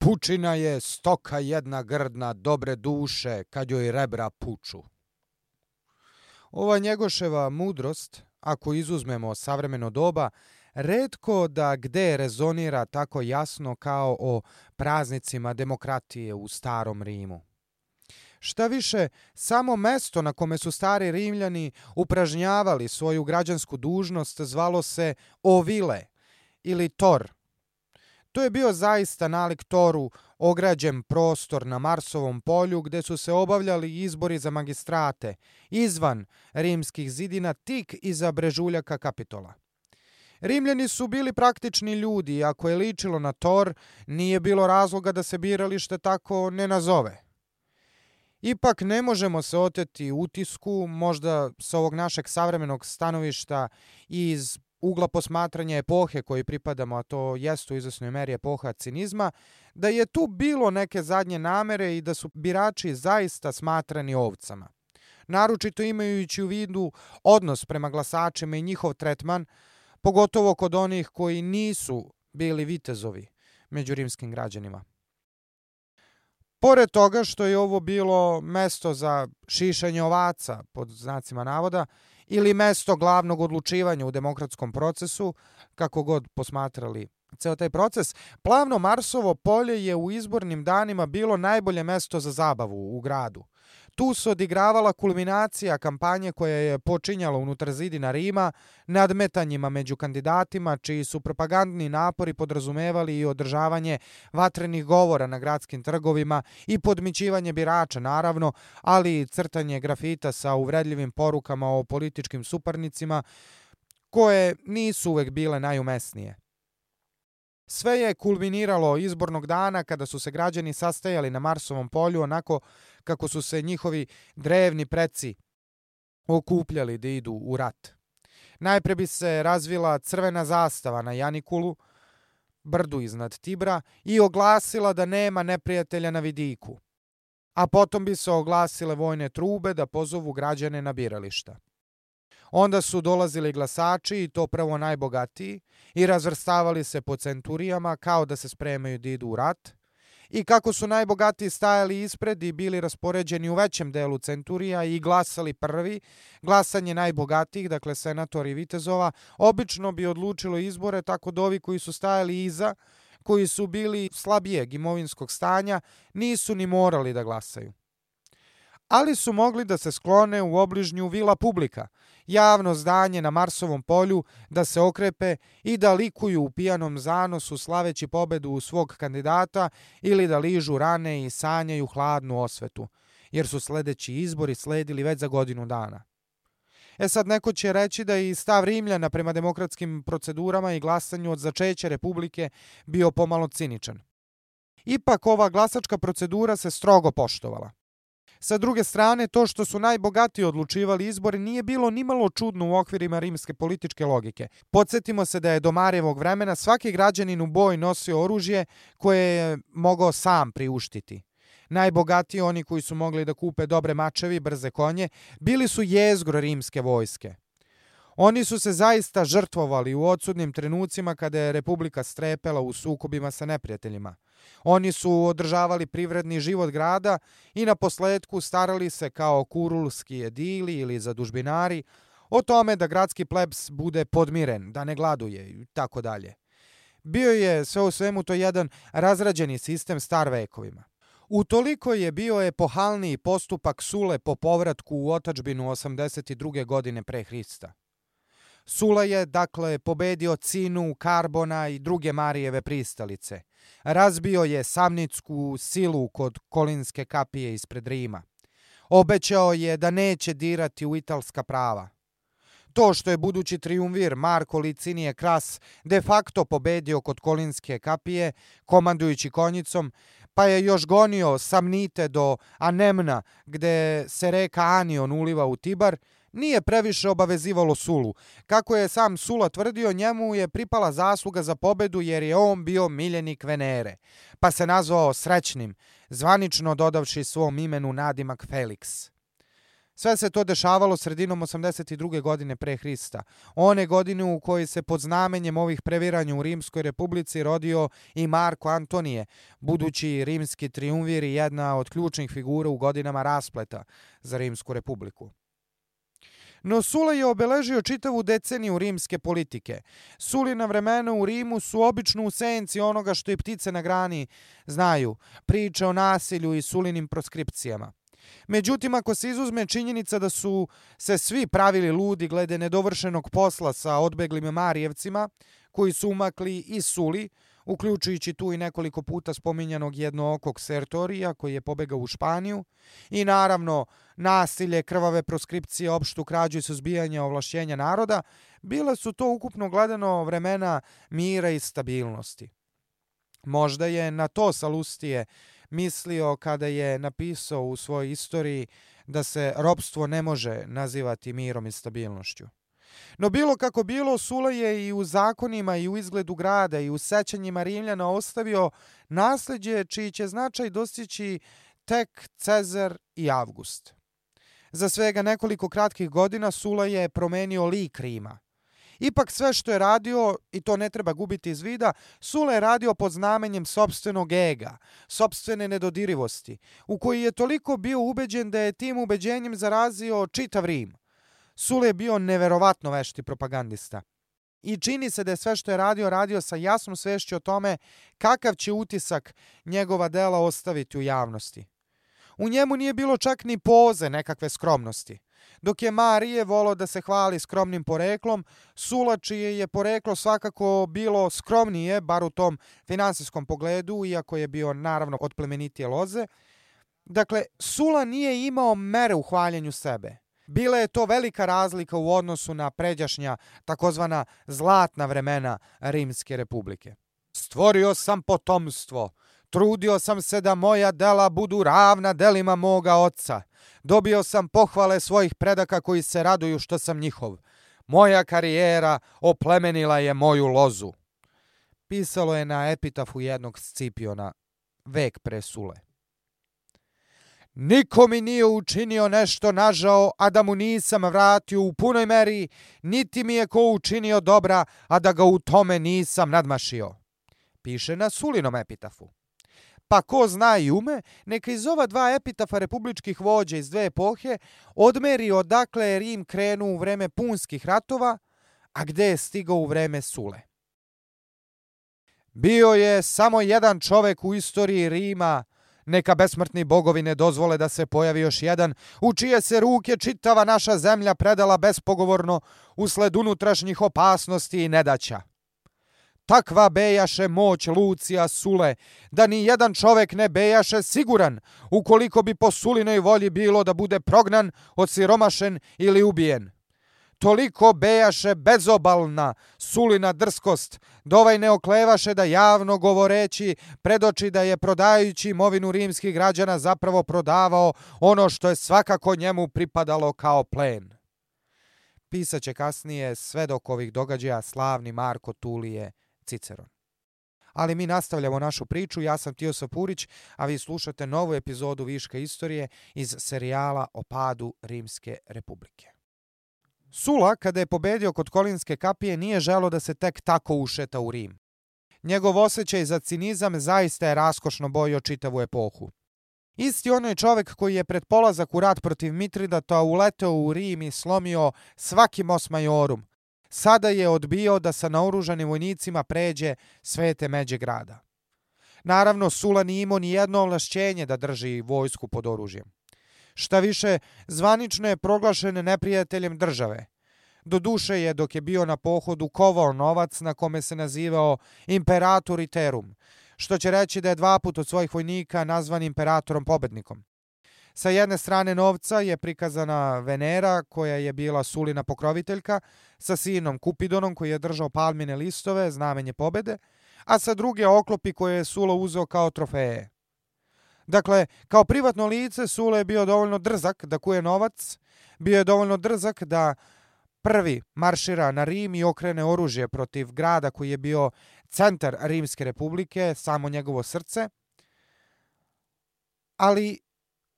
Pučina je stoka jedna grdna dobre duše kad joj rebra puču. Ova Njegoševa mudrost, ako izuzmemo savremeno doba, retko da gde rezonira tako jasno kao o praznicima demokratije u starom Rimu. Šta više, samo mesto na kome su stari Rimljani upražnjavali svoju građansku dužnost zvalo se Ovile ili Tor. To je bio zaista nalik Toru ograđen prostor na Marsovom polju gde su se obavljali izbori za magistrate izvan rimskih zidina tik iza brežuljaka Kapitola. Rimljani su bili praktični ljudi i ako je ličilo na Tor, nije bilo razloga da se biralište tako ne nazove. Ipak ne možemo se oteti utisku, možda sa ovog našeg savremenog stanovišta i iz ugla posmatranja epohe kojoj pripadamo, a to jeste u izvesnoj meri epoha cinizma, da je tu bilo neke zadnje namere i da su birači zaista smatrani ovcama. Naročito imajući u vidu odnos prema glasačima i njihov tretman, pogotovo kod onih koji nisu bili vitezovi među rimskim građanima. Pored toga što je ovo bilo mesto za šišanje ovaca, pod znacima navoda, ili mesto glavnog odlučivanja u demokratskom procesu, kako god posmatrali ceo taj proces, plavno Marsovo polje je u izbornim danima bilo najbolje mesto za zabavu u gradu. Tu se odigravala kulminacija kampanje koja je počinjala unutar zidina Rima, nadmetanjima među kandidatima, čiji su propagandni napori podrazumevali i održavanje vatrenih govora na gradskim trgovima i podmićivanje birača, naravno, ali i crtanje grafita sa uvredljivim porukama o političkim suparnicima, koje nisu uvek bile najumesnije. Sve je kulminiralo izbornog dana kada su se građani sastajali na Marsovom polju onako kako su se njihovi drevni preci okupljali da idu u rat. Najpre bi se razvila crvena zastava na Janikulu, brdu iznad Tibra, i oglasila da nema neprijatelja na vidiku. A potom bi se oglasile vojne trube da pozovu građane na birališta. Onda su dolazili glasači, i to prvo najbogatiji, i razvrstavali se po centurijama kao da se spremaju da idu u rat. I kako su najbogatiji stajali ispred i bili raspoređeni u većem delu centurija i glasali prvi, glasanje najbogatijih, dakle senatori i vitezova, obično bi odlučilo izbore, tako da ovi koji su stajali iza, koji su bili slabijeg imovinskog stanja, nisu ni morali da glasaju. Ali su mogli da se sklone u obližnju Vila Publika, javno zdanje na Marsovom polju, da se okrepe i da likuju u pijanom zanosu slaveći pobedu u svog kandidata ili da ližu rane i sanjaju hladnu osvetu, jer su sledeći izbori sledili već za godinu dana. Sad neko će reći da je i stav Rimljana prema demokratskim procedurama i glasanju od začeća Republike bio pomalo ciničan. Ipak ova glasačka procedura se strogo poštovala. Sa druge strane, to što su najbogatiji odlučivali izbore nije bilo nimalo čudno u okvirima rimske političke logike. Podsjetimo se da je do Marijevog vremena svaki građanin u boj nosio oružje koje je mogao sam priuštiti. Najbogatiji, oni koji su mogli da kupe dobre mačevi i brze konje, bili su jezgro rimske vojske. Oni su se zaista žrtvovali u odsudnim trenucima kada je Republika strepela u sukobima sa neprijateljima. Oni su održavali privredni život grada i na posledku starali se kao kurulski edili ili zadužbinari o tome da gradski plebs bude podmiren, da ne gladuje i tako dalje. Bio je sve u svemu to jedan razrađeni sistem star vekovima. Utoliko je bio epohalniji postupak Sule po povratku u otadžbinu 82. godine pre Hrista. Sula je, dakle, pobedio Cinu, Karbona i druge Marijeve pristalice. Razbio je Samnicku silu kod Kolinske kapije ispred Rima. Obećao je da neće dirati u italska prava. To što je budući triumvir Marko Licinije Kras de facto pobedio kod Kolinske kapije, komandujući konjicom, pa je još gonio Samnite do Anemna, gde se reka Anion uliva u Tibar, nije previše obavezivalo Sulu. Kako je sam Sula tvrdio, njemu je pripala zasluga za pobedu jer je on bio miljenik Venere, pa se nazvao Srećnim, zvanično dodavši svom imenu nadimak Felix. Sve se to dešavalo sredinom 82. godine pre Hrista, one godine u kojoj se pod znamenjem ovih previranja u Rimskoj republici rodio i Marko Antonije, budući rimski trijumvir i jedna od ključnih figura u godinama raspleta za Rimsku republiku. No Sula je obeležio čitavu deceniju rimske politike. Sulina vremena u Rimu su obično u senci onoga što i ptice na grani znaju, priče o nasilju i Sulinim proskripcijama. Međutim, ako se izuzme činjenica da su se svi pravili ludi glede nedovršenog posla sa odbeglim Marijevcima, koji su umakli i Suli, uključujući tu i nekoliko puta spominjanog jednookog Sertorija koji je pobegao u Španiju, i naravno nasilje, krvave proskripcije, opštu krađu i suzbijanje ovlašćenja naroda, bila su to ukupno gledano vremena mira i stabilnosti. Možda je na to Salustije mislio kada je napisao u svojoj istoriji da se ropstvo ne može nazivati mirom i stabilnošću. No bilo kako bilo, Sula je i u zakonima i u izgledu grada i u sećanjima Rimljana ostavio nasleđe čiji će značaj dostići tek Cezar i Avgust. Za svega nekoliko kratkih godina Sula je promenio lik Rima. Ipak sve što je radio, i to ne treba gubiti iz vida, Sula je radio pod znamenjem sopstvenog ega, sopstvene nedodirivosti, u koji je toliko bio ubeđen da je tim ubeđenjem zarazio čitav Rim. Sula je bio neverovatno vešti propagandista. I čini se da je sve što je radio sa jasnom svešću o tome kakav će utisak njegova dela ostaviti u javnosti. U njemu nije bilo čak ni poze nekakve skromnosti. Dok je Marije volao da se hvali skromnim poreklom, Sula, čije je poreklo svakako bilo skromnije, bar u tom finansijskom pogledu, iako je bio naravno od plemenitije loze. Dakle, Sula nije imao mere u hvaljenju sebe. Bila je to velika razlika u odnosu na pređašnja takozvana zlatna vremena Rimske republike. Stvorio sam potomstvo, trudio sam se da moja dela budu ravna delima moga oca. Dobio sam pohvale svojih predaka koji se raduju što sam njihov. Moja karijera oplemenila je moju lozu. Pisalo je na epitafu jednog Scipiona, vek pre Sule. Niko mi nije učinio nešto nažao, a da mu nisam vratio u punoj meri, niti mi je ko učinio dobra, a da ga u tome nisam nadmašio. Piše na Sulinom epitafu. Pa ko zna i ume, neka iz ova dva epitafa republičkih vođa iz dve epohe odmeri odakle je Rim krenuo u vreme punskih ratova, a gde je stigao u vreme Sule. Bio je samo jedan čovek u istoriji Rima, neka besmrtni bogovi ne dozvole da se pojavi još jedan, u čije se ruke čitava naša zemlja predala bespogovorno usled unutrašnjih opasnosti i nedaća. Takva bejaše moć Lucija Sule, da ni jedan čovek ne bejaše siguran, ukoliko bi po Sulinoj volji bilo da bude prognan, osiromašen ili ubijen. Toliko bejaše bezobalna Sulina drskost, da ovaj ne oklevaše da javno govoreći predoči da je prodajući imovinu rimskih građana zapravo prodavao ono što je svakako njemu pripadalo kao plen. Pisaće kasnije svedok ovih događaja slavni Marko Tulije Ciceron. Ali mi nastavljamo našu priču, ja sam Tioso Purić, a vi slušate novu epizodu Viška istorije iz serijala o padu Rimske republike. Sula, kada je pobedio kod Kolinske kapije, nije želeo da se tek tako ušeta u Rim. Njegov osjećaj za cinizam zaista je raskošno bojio čitavu epohu. Isti onaj čovek koji je pred polazak u rat protiv Mitridata uleteo u Rim i slomio svaki mos majorum, sada je odbio da sa naoružanim vojnicima pređe svete međe grada. Naravno, Sula nije imao ni jedno ovlašćenje da drži vojsku pod oružjem. Šta više, zvanično je proglašen neprijateljem države. Doduše je, dok je bio na pohodu, kovao novac na kome se nazivao Imperator Iterum, što će reći da je 2 puta od svojih vojnika nazvan imperatorom pobednikom. Sa jedne strane novca je prikazana Venera, koja je bila Sulina pokroviteljka, sa sinom Kupidonom koji je držao palmine listove, znamenje pobede, a sa druge oklopi koje je Sula uzeo kao trofeje. Dakle, kao privatno lice Sula je bio dovoljno drzak da kuje novac, bio je dovoljno drzak da prvi maršira na Rim i okrene oružje protiv grada koji je bio centar Rimske republike, samo njegovo srce. Ali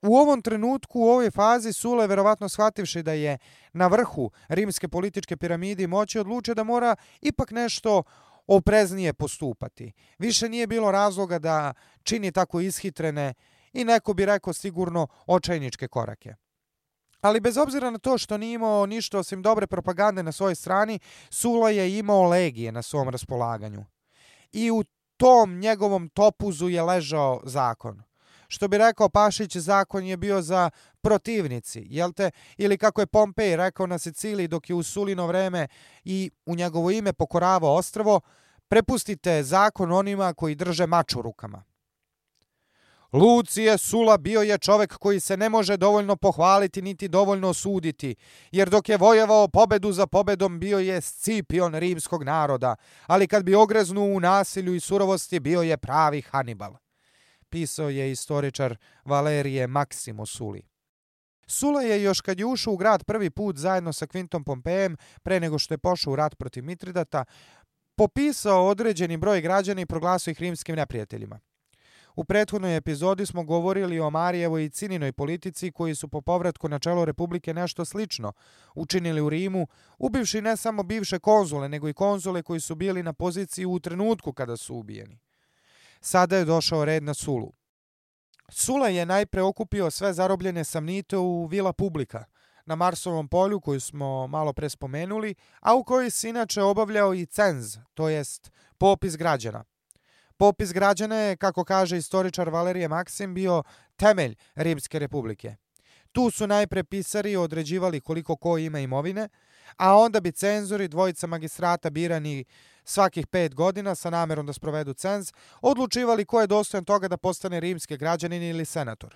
U ovom trenutku, u ovoj fazi, Sula je verovatno shvativši da je na vrhu rimske političke piramide moći, odlučio da mora ipak nešto opreznije postupati. Više nije bilo razloga da čini tako ishitrene i neko bi rekao sigurno očajničke korake. Ali bez obzira na to što nije imao ništa osim dobre propagande na svojoj strani, Sula je imao legije na svom raspolaganju. I u tom njegovom topuzu je ležao zakon. Što bi rekao Pašić, zakon je bio za protivnici, jel te? Ili kako je Pompej rekao na Siciliji dok je u Sulino vreme i u njegovo ime pokoravao ostrvo, prepustite zakon onima koji drže mač u rukama. Lucije Sula bio je čovek koji se ne može dovoljno pohvaliti niti dovoljno osuditi, jer dok je vojevao pobedu za pobedom bio je Scipion rimskog naroda, ali kad bi ogreznuo u nasilju i surovosti bio je pravi Hanibal. Pisao je istoričar Valerije Maksim o Suli. Sula je još kad je ušao u grad prvi put zajedno sa Kvintom Pompejem, pre nego što je pošao u rat protiv Mitridata, popisao određeni broj građana i proglasio ih rimskim neprijateljima. U prethodnoj epizodi smo govorili o Marijevoj i Cininoj politici koji su po povratku na čelo Republike nešto slično učinili u Rimu, ubivši ne samo bivše konzule, nego i konzule koji su bili na poziciji u trenutku kada su ubijeni. Sada je došao red na Sulu. Sula je najpre okupio sve zarobljene samnite u Vila Publica, na Marsovom polju koju smo malo pre spomenuli, a u kojoj se inače obavljao i cenz, to jest popis građana. Popis građana je, kako kaže istoričar Valerije Maksim, bio temelj Rimske republike. Tu su najpre pisari određivali koliko ko ima imovine, a onda bi cenzori, dvojica magistrata birani svakih 5 godina sa namerom da sprovedu cenz, odlučivali ko je dostojan toga da postane rimski građanin ili senator.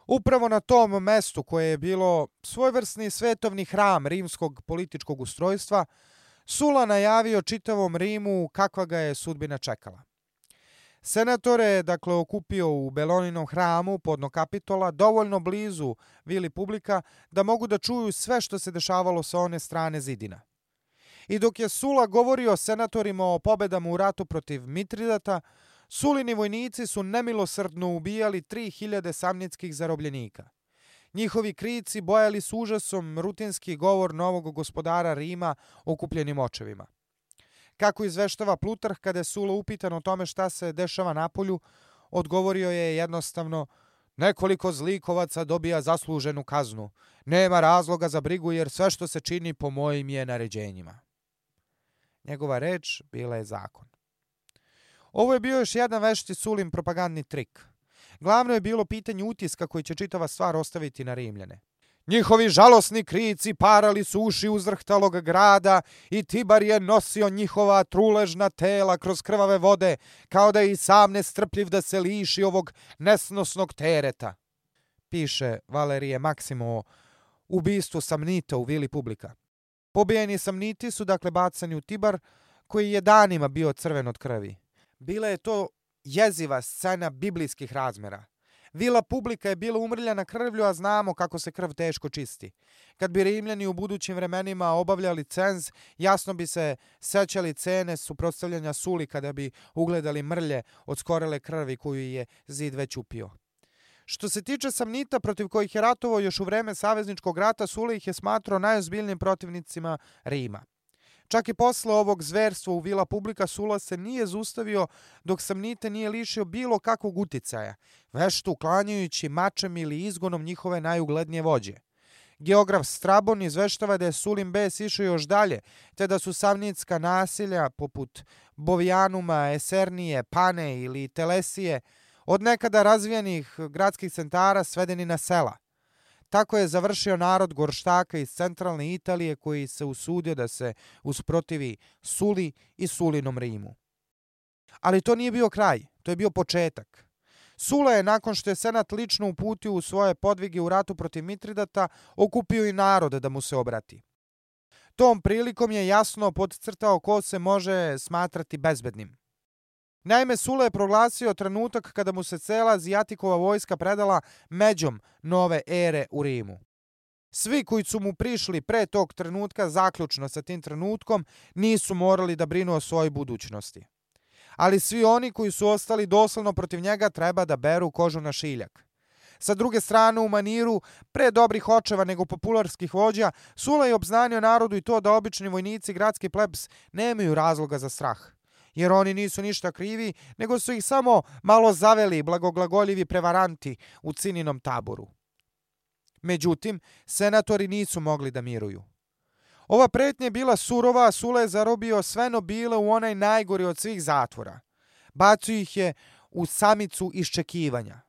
Upravo na tom mestu koje je bilo svojevrsni svetovni hram rimskog političkog ustrojstva, Sula najavio čitavom Rimu kakva ga je sudbina čekala. Senatore je dakle okupio u Beloninom hramu podno Kapitola, dovoljno blizu Vili Publica, da mogu da čuju sve što se dešavalo sa one strane zidina. I dok je Sula govorio senatorima o pobedama u ratu protiv Mitridata, Sulini vojnici su nemilosrdno ubijali 3000 samnitskih zarobljenika. Njihovi krici bojali s užasom rutinski govor novog gospodara Rima okupljenim očevima. Kako izveštava Plutarh, kada je Sula upitan o tome šta se dešava napolju, odgovorio je jednostavno: nekoliko zlikovaca dobija zasluženu kaznu. Nema razloga za brigu jer sve što se čini po mojim je naređenjima. Njegova reč bila je zakon. Ovo je bio još jedan vešti Sulin propagandni trik. Glavno je bilo pitanje utiska koji će čitava stvar ostaviti na Rimljane. Njihovi žalosni krici parali su uši uzrhtalog grada i Tibar je nosio njihova truležna tela kroz krvave vode, kao da je i sam nestrpljiv da se liši ovog nesnosnog tereta. Piše Valerije Maksim o ubistvu samnita u Vili Publica. Pobijeni samniti su dakle bacani u Tibar, koji je danima bio crven od krvi. Bila je to jeziva scena biblijskih razmera. Vila Publica je bila umrljana krvlju, a znamo kako se krv teško čisti. Kad bi Rimljani u budućim vremenima obavljali cenz, jasno bi se sećali cene suprotstavljanja Suli kada bi ugledali mrlje od skorele krvi koju je zid već upio. Što se tiče samnita protiv kojih je ratovao još u vreme savezničkog rata, Sula ih je smatrao najozbiljnijim protivnicima Rima. Čak i posle ovog zverstva u Vila Publica Sula se nije zaustavio dok samnite nije lišio bilo kakvog uticaja, vešto uklanjajući mačem ili izgonom njihove najuglednije vođe. Geograf Strabon izveštava da je Sulin bes išao još dalje, te da su samnitska nasilja poput Bovijanuma, Esernije, Pane ili Telesije od nekada razvijenih gradskih centara svedeni na sela. Tako je završio narod gorštaka iz centralne Italije koji se usudio da se usprotivi Suli i Sulinom Rimu. Ali to nije bio kraj, to je bio početak. Sula je, nakon što je senat lično uputio u svoje podvige u ratu protiv Mitridata, okupio i narod da mu se obrati. Tom prilikom je jasno podcrtao ko se može smatrati bezbednim. Naime, Sula je proglasio trenutak kada mu se cela Azijatikova vojska predala međom nove ere u Rimu. Svi koji su mu prišli pre tog trenutka, zaključno sa tim trenutkom, nisu morali da brinu o svojoj budućnosti. Ali svi oni koji su ostali doslovno protiv njega treba da beru kožu na šiljak. Sa druge strane, u maniru pre dobrih očeva nego popularskih vođa, Sula je obznanio narodu i to da obični vojnici i gradski plebs nemaju razloga za strah. Jer oni nisu ništa krivi, nego su ih samo malo zaveli blagoglagoljivi prevaranti u Cininom taboru. Međutim, senatori nisu mogli da miruju. Ova pretnja je bila surova, a Sula je zarobio sve nobile u onaj najgori od svih zatvora. Bacio ih je u samicu iščekivanja.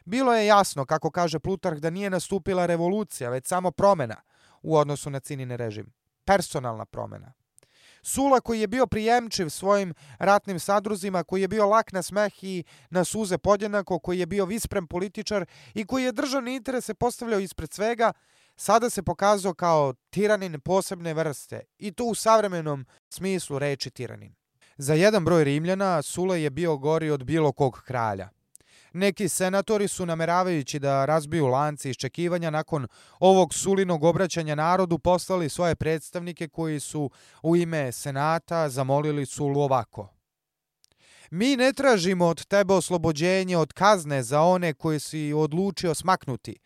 Bilo je jasno, kako kaže Plutarh, da nije nastupila revolucija, već samo promjena u odnosu na Cinin režim. Personalna promjena. Sula, koji je bio prijemčiv svojim ratnim sadruzima, koji je bio lak na smeh i na suze podjednako, koji je bio visprem političar i koji je državne interese postavljao ispred svega, sada se pokazao kao tiranin posebne vrste, i to u savremenom smislu reči tiranin. Za jedan broj Rimljana Sula je bio gori od bilo kog kralja. Neki senatori su, nameravajući da razbiju lance iščekivanja nakon ovog Sulinog obraćanja narodu, poslali svoje predstavnike koji su u ime senata zamolili Sulu ovako: mi ne tražimo od tebe oslobođenje od kazne za one koje si odlučio smaknuti,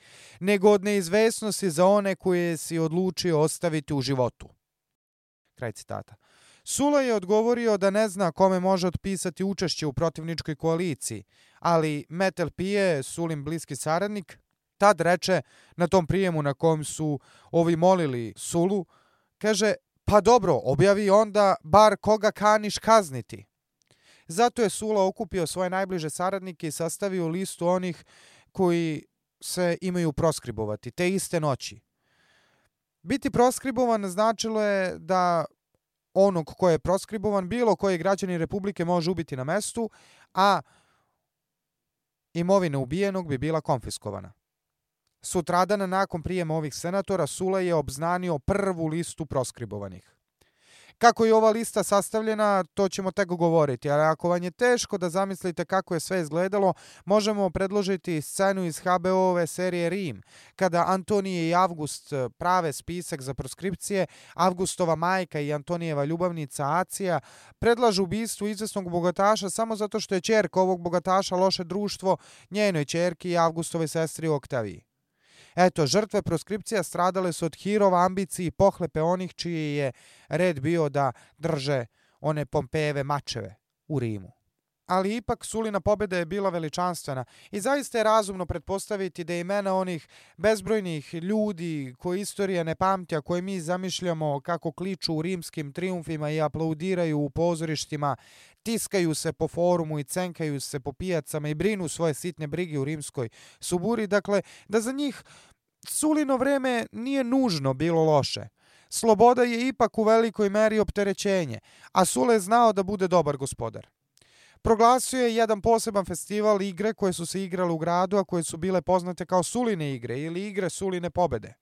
nego od neizvesnosti za one koje si odlučio ostaviti u životu. Kraj citata. Sula je odgovorio da ne zna kome može otpisati učešće u protivničkoj koaliciji, ali Metelpije, Sulin bliski saradnik, tad reče na tom prijemu na kom su ovi molili Sulu, kaže: pa dobro, objavi onda bar koga kaniš kazniti. Zato je Sula okupio svoje najbliže saradnike i sastavio listu onih koji se imaju proskribovati te iste noći. Biti proskribovan značilo je da onog ko je proskribovan bilo koji građanin Republike može ubiti na mestu, a imovina ubijenog bi bila konfiskovana. Sutradan nakon prijema ovih senatora Sula je obznanio prvu listu proskribovanih. Kako je ova lista sastavljena, to ćemo tek govoriti, ali ako vam je teško da zamislite kako je sve izgledalo, možemo predložiti scenu iz HBO-ove serije Rim, kada Antonije i Avgust prave spisak za proskripcije, Avgustova majka i Antonijeva ljubavnica Acija predlažu ubistvo izvesnog bogataša samo zato što je ćerka ovog bogataša loše društvo njenoj ćerki i Avgustovoj sestri Oktaviji. Eto, žrtve proskripcija stradale su od hirova, ambicije i pohlepe onih čiji je red bio da drže one Pompejeve mačeve u Rimu. Ali ipak Sulina pobjeda je bila veličanstvena i zaista je razumno pretpostaviti da imena onih bezbrojnih ljudi koje istorija ne pamti, a koje mi zamišljamo kako kliču u rimskim trijumfima i aplaudiraju u pozorištima, tiskaju se po forumu i cenkaju se po pijacama i brinu svoje sitne brige u rimskoj suburi, dakle da za njih Sulino vreme nije nužno bilo loše. Sloboda je ipak u velikoj meri opterećenje, a Sula je znao da bude dobar gospodar. Proglasio je jedan poseban festival igre koje su se igrale u gradu, a koje su bile poznate kao Suline igre ili igre Suline pobede.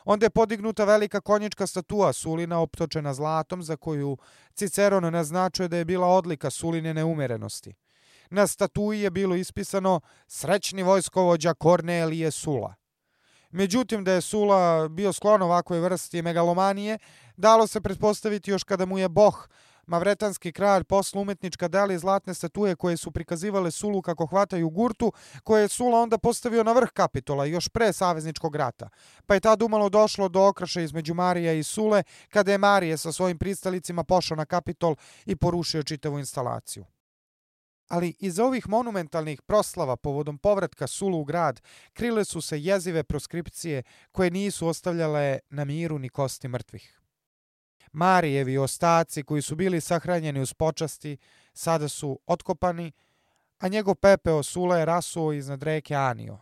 Onda je podignuta velika konjička statua Sulina optočena zlatom, za koju Ciceron naznačuje da je bila odlika Suline neumerenosti. Na statui je bilo ispisano srećni vojskovođa Kornelije Sula. Međutim, da je Sula bio sklon ovakvoj vrsti megalomanije, dalo se pretpostaviti još kada mu je Boh, mavretanski kralj, poslao umetnička dela i zlatne statue koje su prikazivale Sulu kako hvataju gurtu, koje je Sula onda postavio na vrh Kapitola još pre savezničkog rata. Pa je tad umalo došlo do okraša između Marija i Sule, kada je Marije sa svojim pristalicima pošao na Kapitol i porušio čitavu instalaciju. Ali iza ovih monumentalnih proslava povodom povratka Sulu u grad krile su se jezive proskripcije koje nisu ostavljale na miru ni kosti mrtvih. Marijevi ostaci koji su bili sahranjeni uz počasti sada su otkopani, a njegov pepeo Sula je rasuo iznad reke Anio.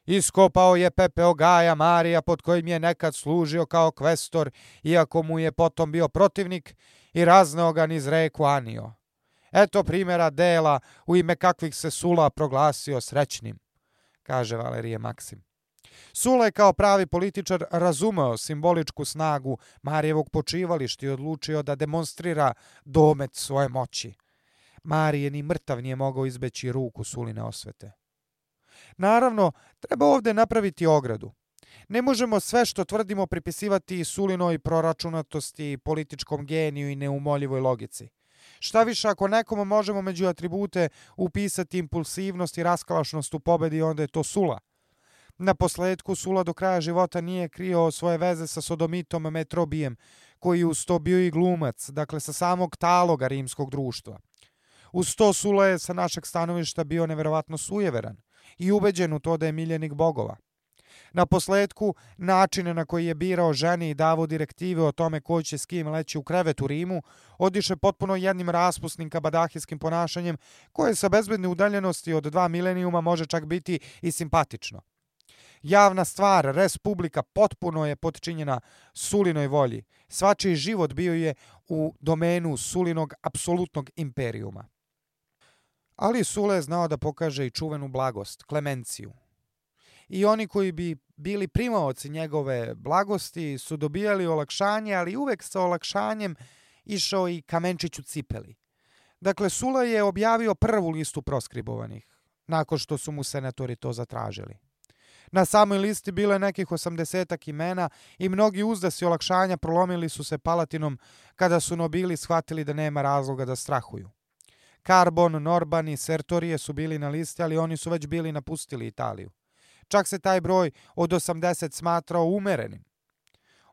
Iskopao je pepeo Gaja Marija pod kojim je nekad služio kao kvestor, iako mu je potom bio protivnik, i razneo ga niz reku Anio. Eto primjera dela u ime kakvih se Sula proglasio srećnim, kaže Valerije Maksim. Sula je kao pravi političar razumeo simboličku snagu Marijevog počivališta i odlučio da demonstrira domet svoje moći. Marije ni mrtav nije mogao izbeći ruku Suline osvete. Naravno, treba ovdje napraviti ogradu. Ne možemo sve što tvrdimo pripisivati Sulinoj proračunatosti, političkom geniju i neumoljivoj logici. Šta više, ako nekom možemo među atribute upisati impulsivnost i raskalašnost u pobedi, onda je to Sula. Na posledku Sula do kraja života nije krio svoje veze sa sodomitom Metrobijem, koji uz to bio i glumac, dakle sa samog taloga rimskog društva. Uz to Sula je sa našeg stanovišta bio neverovatno sujeveran i ubeđen u to da je miljenik bogova. Na posledku, načine na koji je birao žene i davao direktive o tome ko će s kim leći u krevet u Rimu, odiše potpuno jednim raspusnim kabadahijskim ponašanjem koje sa bezbedne udaljenosti od 2 milenijuma može čak biti i simpatično. Javna stvar, res publika, potpuno je potčinjena Sulinoj volji. Svačiji život bio je u domenu Sulinog apsolutnog imperijuma. Ali Sula je znao da pokaže i čuvenu blagost, klemenciju. I oni koji bi bili primaoci njegove blagosti su dobijali olakšanje, ali uvek sa olakšanjem išao i kamenčić u cipeli. Dakle, Sula je objavio prvu listu proskribovanih, nakon što su mu senatori to zatražili. Na samoj listi bilo je nekih 80 imena i mnogi uzdasi olakšanja prolomili su se Palatinom kada su nobili shvatili da nema razloga da strahuju. Karbon, Norban i Sertorije su bili na listi, ali oni su već bili napustili Italiju. Čak se taj broj od 80 smatrao umerenim.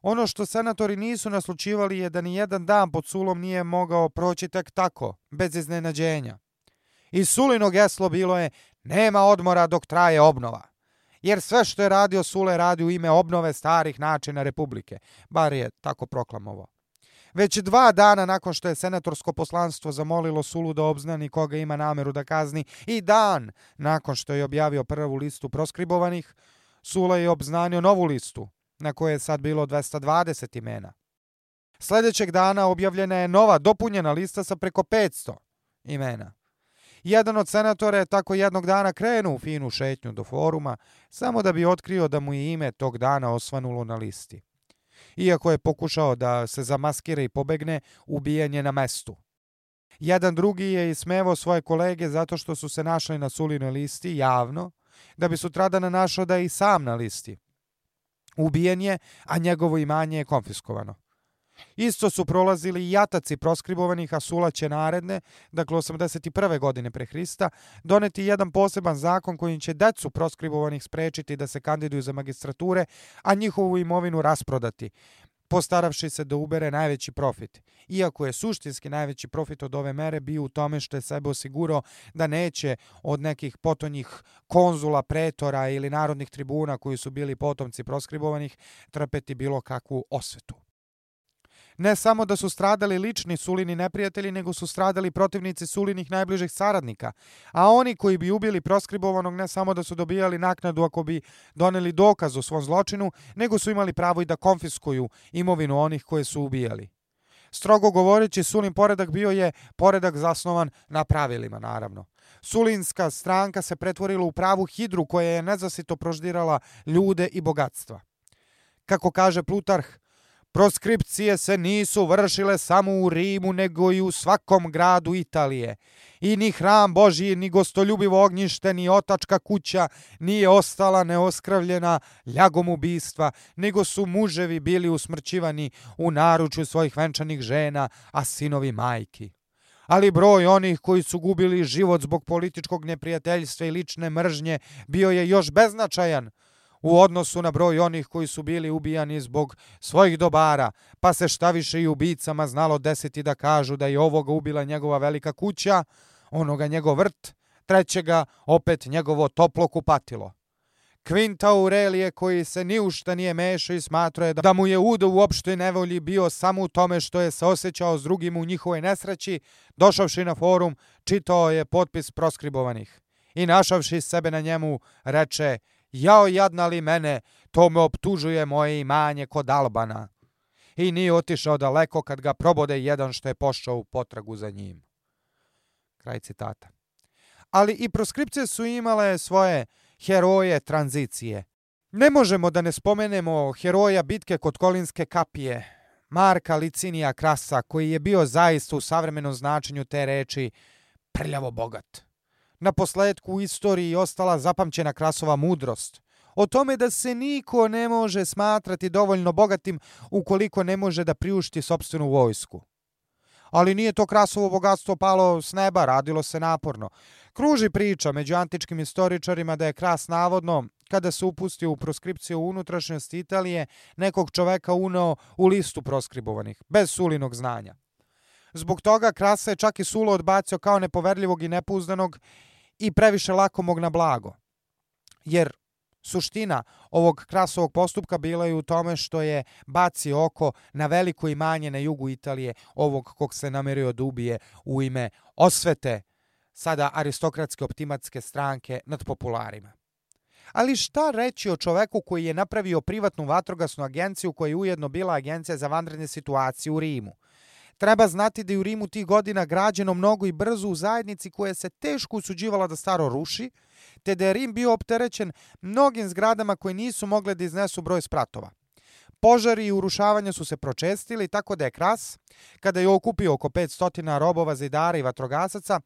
Ono što senatori nisu naslučivali je da ni jedan dan pod Sulom nije mogao proći tek tako, bez iznenađenja. I Sulino geslo bilo je: nema odmora dok traje obnova. Jer sve što je radio Sule radi u ime obnove starih načina Republike, bar je tako proklamovao. Već 2 dana nakon što je senatorsko poslanstvo zamolilo Sulu da obznani koga ima nameru da kazni, i dan nakon što je objavio prvu listu proskribovanih, Sula je obznanio novu listu, na kojoj je sad bilo 220 imena. Sljedećeg dana objavljena je nova dopunjena lista sa preko 500 imena. Jedan od senatora je tako jednog dana krenuo u finu šetnju do foruma, samo da bi otkrio da mu je ime tog dana osvanulo na listi. Iako je pokušao da se zamaskira i pobegne, ubijen je na mestu. Jedan drugi je ismevao svoje kolege zato što su se našli na Sulinoj listi javno, da bi sutradan našao da je i sam na listi. Ubijen je, a njegovo imanje je konfiskovano. Isto su prolazili i jataci proskribovanih, a Sula će naredne, dakle 81. godine pre Hrista, doneti jedan poseban zakon kojim će decu proskribovanih sprečiti da se kandiduju za magistrature, a njihovu imovinu rasprodati, postaravši se da ubere najveći profit. Iako je suštinski najveći profit od ove mere bio u tome što je sebe osigurao da neće od nekih potonjih konzula, pretora ili narodnih tribuna koji su bili potomci proskribovanih trpeti bilo kakvu osvetu. Ne samo da su stradali lični Sulini neprijatelji, nego su stradali protivnici Sulinih najbližih saradnika, a oni koji bi ubili proskribovanog ne samo da su dobijali naknadu ako bi doneli dokaz o svom zločinu, nego su imali pravo i da konfiskuju imovinu onih koje su ubijali. Strogo govoreći, Sulin poredak bio je poredak zasnovan na pravilima, naravno. Sulinska stranka se pretvorila u pravu hidru koja je nezasito proždirala ljude i bogatstva. Kako kaže Plutarh, proskripcije se nisu vršile samo u Rimu, nego i u svakom gradu Italije. I ni hram Božji, ni gostoljubivo ognjište, ni otačka kuća nije ostala neoskravljena ljagom ubistva, nego su muževi bili usmrćivani u naručju svojih venčanih žena, a sinovi majki. Ali broj onih koji su gubili život zbog političkog neprijateljstva i lične mržnje bio je još beznačajan u odnosu na broj onih koji su bili ubijani zbog svojih dobara, pa se šta više i ubicama znalo desiti da kažu da je ovoga ubila njegova velika kuća, onoga njegov vrt, trećega opet njegovo toplo kupatilo. Quinta Aurelije, koji se ni u šta nije mešao i smatrao je da mu je udo u opštoj nevolji bio samo u tome što je se osjećao s drugim u njihovoj nesreći, došavši na forum, čitao je potpis proskribovanih i našavši sebe na njemu reče: jao jadna li mene, to me optužuje moje imanje kod Albana. I nije otišao daleko kad ga probode jedan što je pošao u potragu za njim. Kraj citata. Ali i proskripcije su imale svoje heroje tranzicije. Ne možemo da ne spomenemo heroja bitke kod Kolinske kapije, Marka Licinija Krasa, koji je bio zaista u savremenom značenju te reči prljavo bogat. Na posledku u istoriji ostala zapamćena Krasova mudrost o tome da se niko ne može smatrati dovoljno bogatim ukoliko ne može da priušti sopstvenu vojsku. Ali nije to Krasovo bogatstvo palo s neba, radilo se naporno. Kruži priča među antičkim istoričarima da je Kras navodno, kada se upustio u proskripciju u unutrašnjosti Italije, nekog čoveka uneo u listu proskribovanih, bez Sulinog znanja. Zbog toga Krasa je čak i Sulo odbacio kao nepoverljivog i nepouzdanog i previše lakomog na blago. Jer suština ovog Krasovog postupka bila je u tome što je bacio oko na veliko imanje na jugu Italije, ovog kog se namerio da ubije u ime osvete, sada aristokratske optimatske stranke nad popularima. Ali šta reći o čoveku koji je napravio privatnu vatrogasnu agenciju koja je ujedno bila agencija za vanredne situacije u Rimu? Treba znati da je u Rimu tih godina građeno mnogo i brzo u zajednici koja se teško usuđivala da staro ruši, te da je Rim bio opterećen mnogim zgradama koje nisu mogle da iznesu broj spratova. Požari i urušavanja su se pročestili, tako da je Kras, kada je okupio oko 500 robova, zidara i vatrogasaca,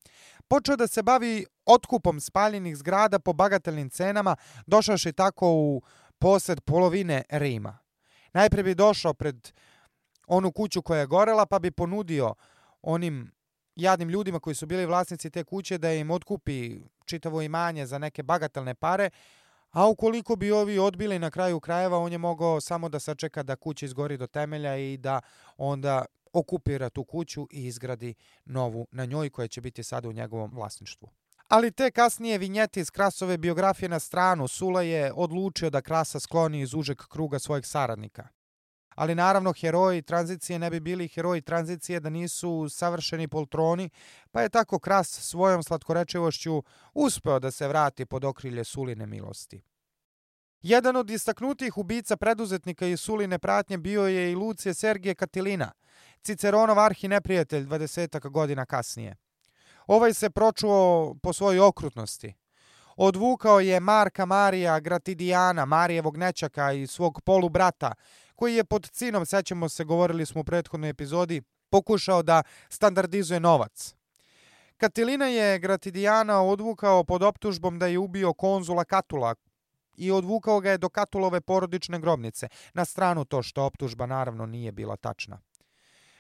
počeo da se bavi otkupom spaljenih zgrada po bagatelnim cenama, došavši tako u posed polovine Rima. Najpre bi došao pred onu kuću koja je gorela, pa bi ponudio onim jadnim ljudima koji su bili vlasnici te kuće da im otkupi čitavo imanje za neke bagatelne pare, a ukoliko bi ovi odbili na kraju krajeva, on je mogao samo da sačeka da kuća izgori do temelja i da onda okupira tu kuću i izgradi novu na njoj koja će biti sada u njegovom vlasništvu. Ali te kasnije vinjete iz Krasove biografije na stranu, Sula je odlučio da Krasa skloni iz užeg kruga svojih saradnika. Ali naravno heroji tranzicije ne bi bili heroji tranzicije da nisu savršeni poltroni, pa je tako Kras svojom slatkorečivošću uspeo da se vrati pod okrilje Suline milosti. Jedan od istaknutih ubica preduzetnika iz Suline pratnje bio je i Lucije Sergije Katilina, Ciceronov arhineprijatelj 20 godina kasnije. Ovaj se pročuo po svojoj okrutnosti. Odvukao je Marka Marija Gratidijana, Marijevog nećaka i svog polubrata, koji je pod cinom, sećamo se, govorili smo u prethodnoj epizodi, pokušao da standardizuje novac. Katilina je Gratidijana odvukao pod optužbom da je ubio konzula Katula i odvukao ga je do Katulove porodične grobnice, na stranu to što optužba naravno nije bila tačna.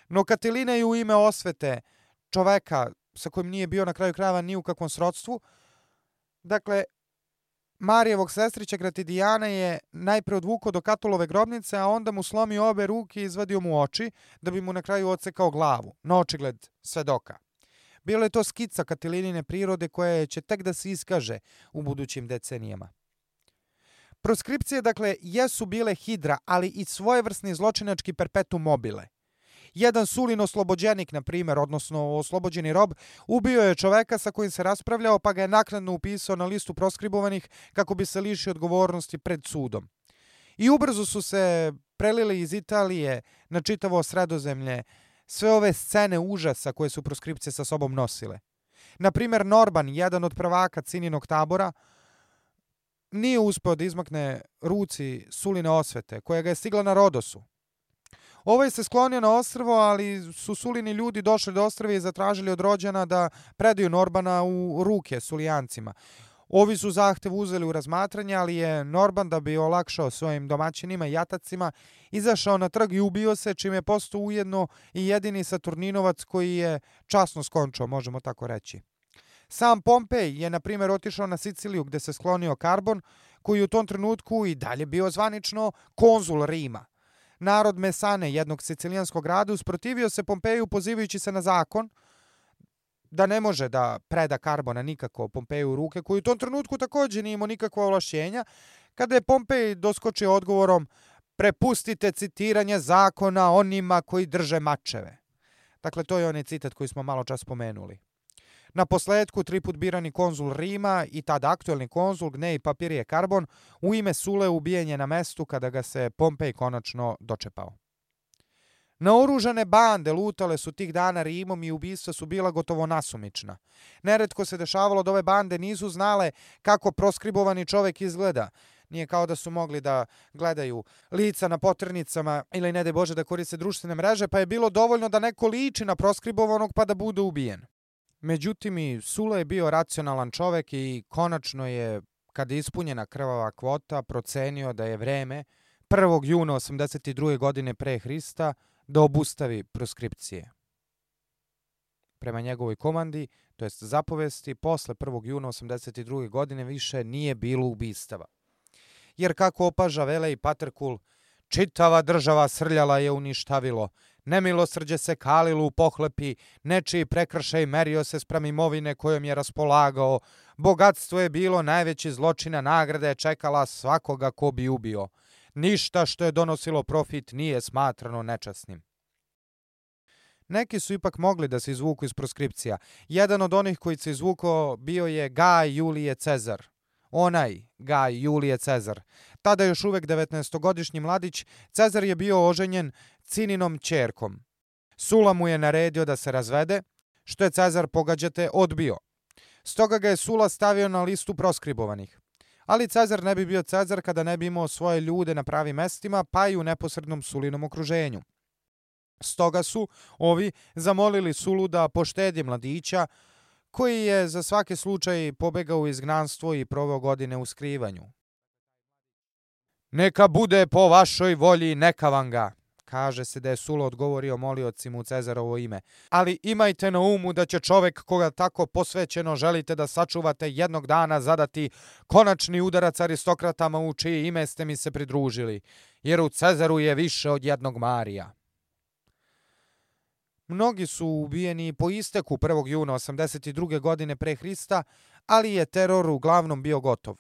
No Katilina je u ime osvete čoveka sa kojim nije bio na kraju krajeva ni u kakvom srodstvu, dakle, Marijevog sestrića Gratidijana je najpre odvukao do Katulove grobnice, a onda mu slomio obe ruke i izvadio mu oči, da bi mu na kraju odsekao glavu, na očigled svedoka. Bilo je to skica Katilinine prirode koja će tek da se iskaže u budućim decenijama. Proskripcije, dakle, jesu bile hidra, ali i svojevrsni zločinački perpetuum mobile. Jedan Sulin oslobođenik, na primjer, odnosno oslobođeni rob, ubio je čoveka sa kojim se raspravljao, pa ga je naknadno upisao na listu proskribovanih kako bi se lišio odgovornosti pred sudom. I ubrzo su se prelili iz Italije na čitavo Sredozemlje sve ove scene užasa koje su proskripcije sa sobom nosile. Na primjer, Norban, jedan od prvaka Cininog tabora, nije uspeo da izmakne ruci Suline osvete, koja ga je stigla na Rodosu. Ovaj se sklonio na ostrvo, ali su Sulini ljudi došli do ostrva i zatražili od rođana da predaju Norbana u ruke Sulijancima. Ovi su zahtev uzeli u razmatranje, ali je Norban, da bi olakšao svojim domaćinima i jatacima, izašao na trg i ubio se, čime je postao ujedno i jedini Saturninovac koji je časno skončao, možemo tako reći. Sam Pompej je, na primjer, otišao na Siciliju gde se sklonio Karbon, koji u tom trenutku i dalje bio zvanično konzul Rima. Narod Mesane, jednog sicilijanskog grada, usprotivio se Pompeju pozivajući se na zakon da ne može da preda Karbona nikako Pompeju u ruke, koji u tom trenutku također nije imao nikakva ovlašćenja, kada je Pompej doskočio odgovorom: prepustite citiranje zakona onima koji drže mačeve. Dakle, to je onaj citat koji smo malo čas spomenuli. Na posledku, 3 put birani konzul Rima i tada aktuelni konzul Gnej Papirije Karbon u ime Sule ubijen je na mestu kada ga se Pompej konačno dočepao. Naoružane bande lutale su tih dana Rimom i ubistva su bila gotovo nasumična. Neretko se dešavalo da ove bande nisu znale kako proskribovani čovek izgleda. Nije kao da su mogli da gledaju lica na poternicama ili, ne daj Bože, da koriste društvene mreže, pa je bilo dovoljno da neko liči na proskribovanog pa da bude ubijen. Međutim, i Sula je bio racionalan čovek i konačno je, kada je ispunjena krvava kvota, procenio da je vreme 1. juna 82. godine pre Hrista da obustavi proskripcije. Prema njegovoj komandi, to jest zapovesti, posle 1. juna 1982. godine više nije bilo ubistava. Jer kako opaža Velej Paterkul, čitava država srljala je uništavilo, nemilosrđe se kalilo u pohlepi, nečiji prekršaj merio se spram imovine kojom je raspolagao, bogatstvo je bilo najveći zločina, nagrada je čekala svakoga ko bi ubio. Ništa što je donosilo profit nije smatrano nečasnim. Neki su ipak mogli da se izvuku iz proskripcija. Jedan od onih koji se izvukao bio je Gaj Julije Cezar. Onaj Gaj Julije Cezar. Tada još uvek 19-godišnji mladić, Cezar je bio oženjen Cininom ćerkom. Sula mu je naredio da se razvede, što je Cezar, pogađate, odbio. Stoga ga je Sula stavio na listu proskribovanih. Ali Cezar ne bi bio Cezar kada ne bi imao svoje ljude na pravim mestima, pa i u neposrednom Sulinom okruženju. Stoga su ovi zamolili Sulu da poštedi mladića, koji je za svaki slučaj pobegao u izgnanstvo i proveo godine u skrivanju. Neka bude po vašoj volji, neka vam ga, kaže se da je Sula odgovorio moliocima u Cezarovo ime. Ali imajte na umu da će čovek koga tako posvećeno želite da sačuvate jednog dana zadati konačni udarac aristokratama u čije ime ste mi se pridružili, jer u Cezaru je više od jednog Marija. Mnogi su ubijeni po isteku 1. juna 82. godine pre Hrista, ali je teror uglavnom bio gotov.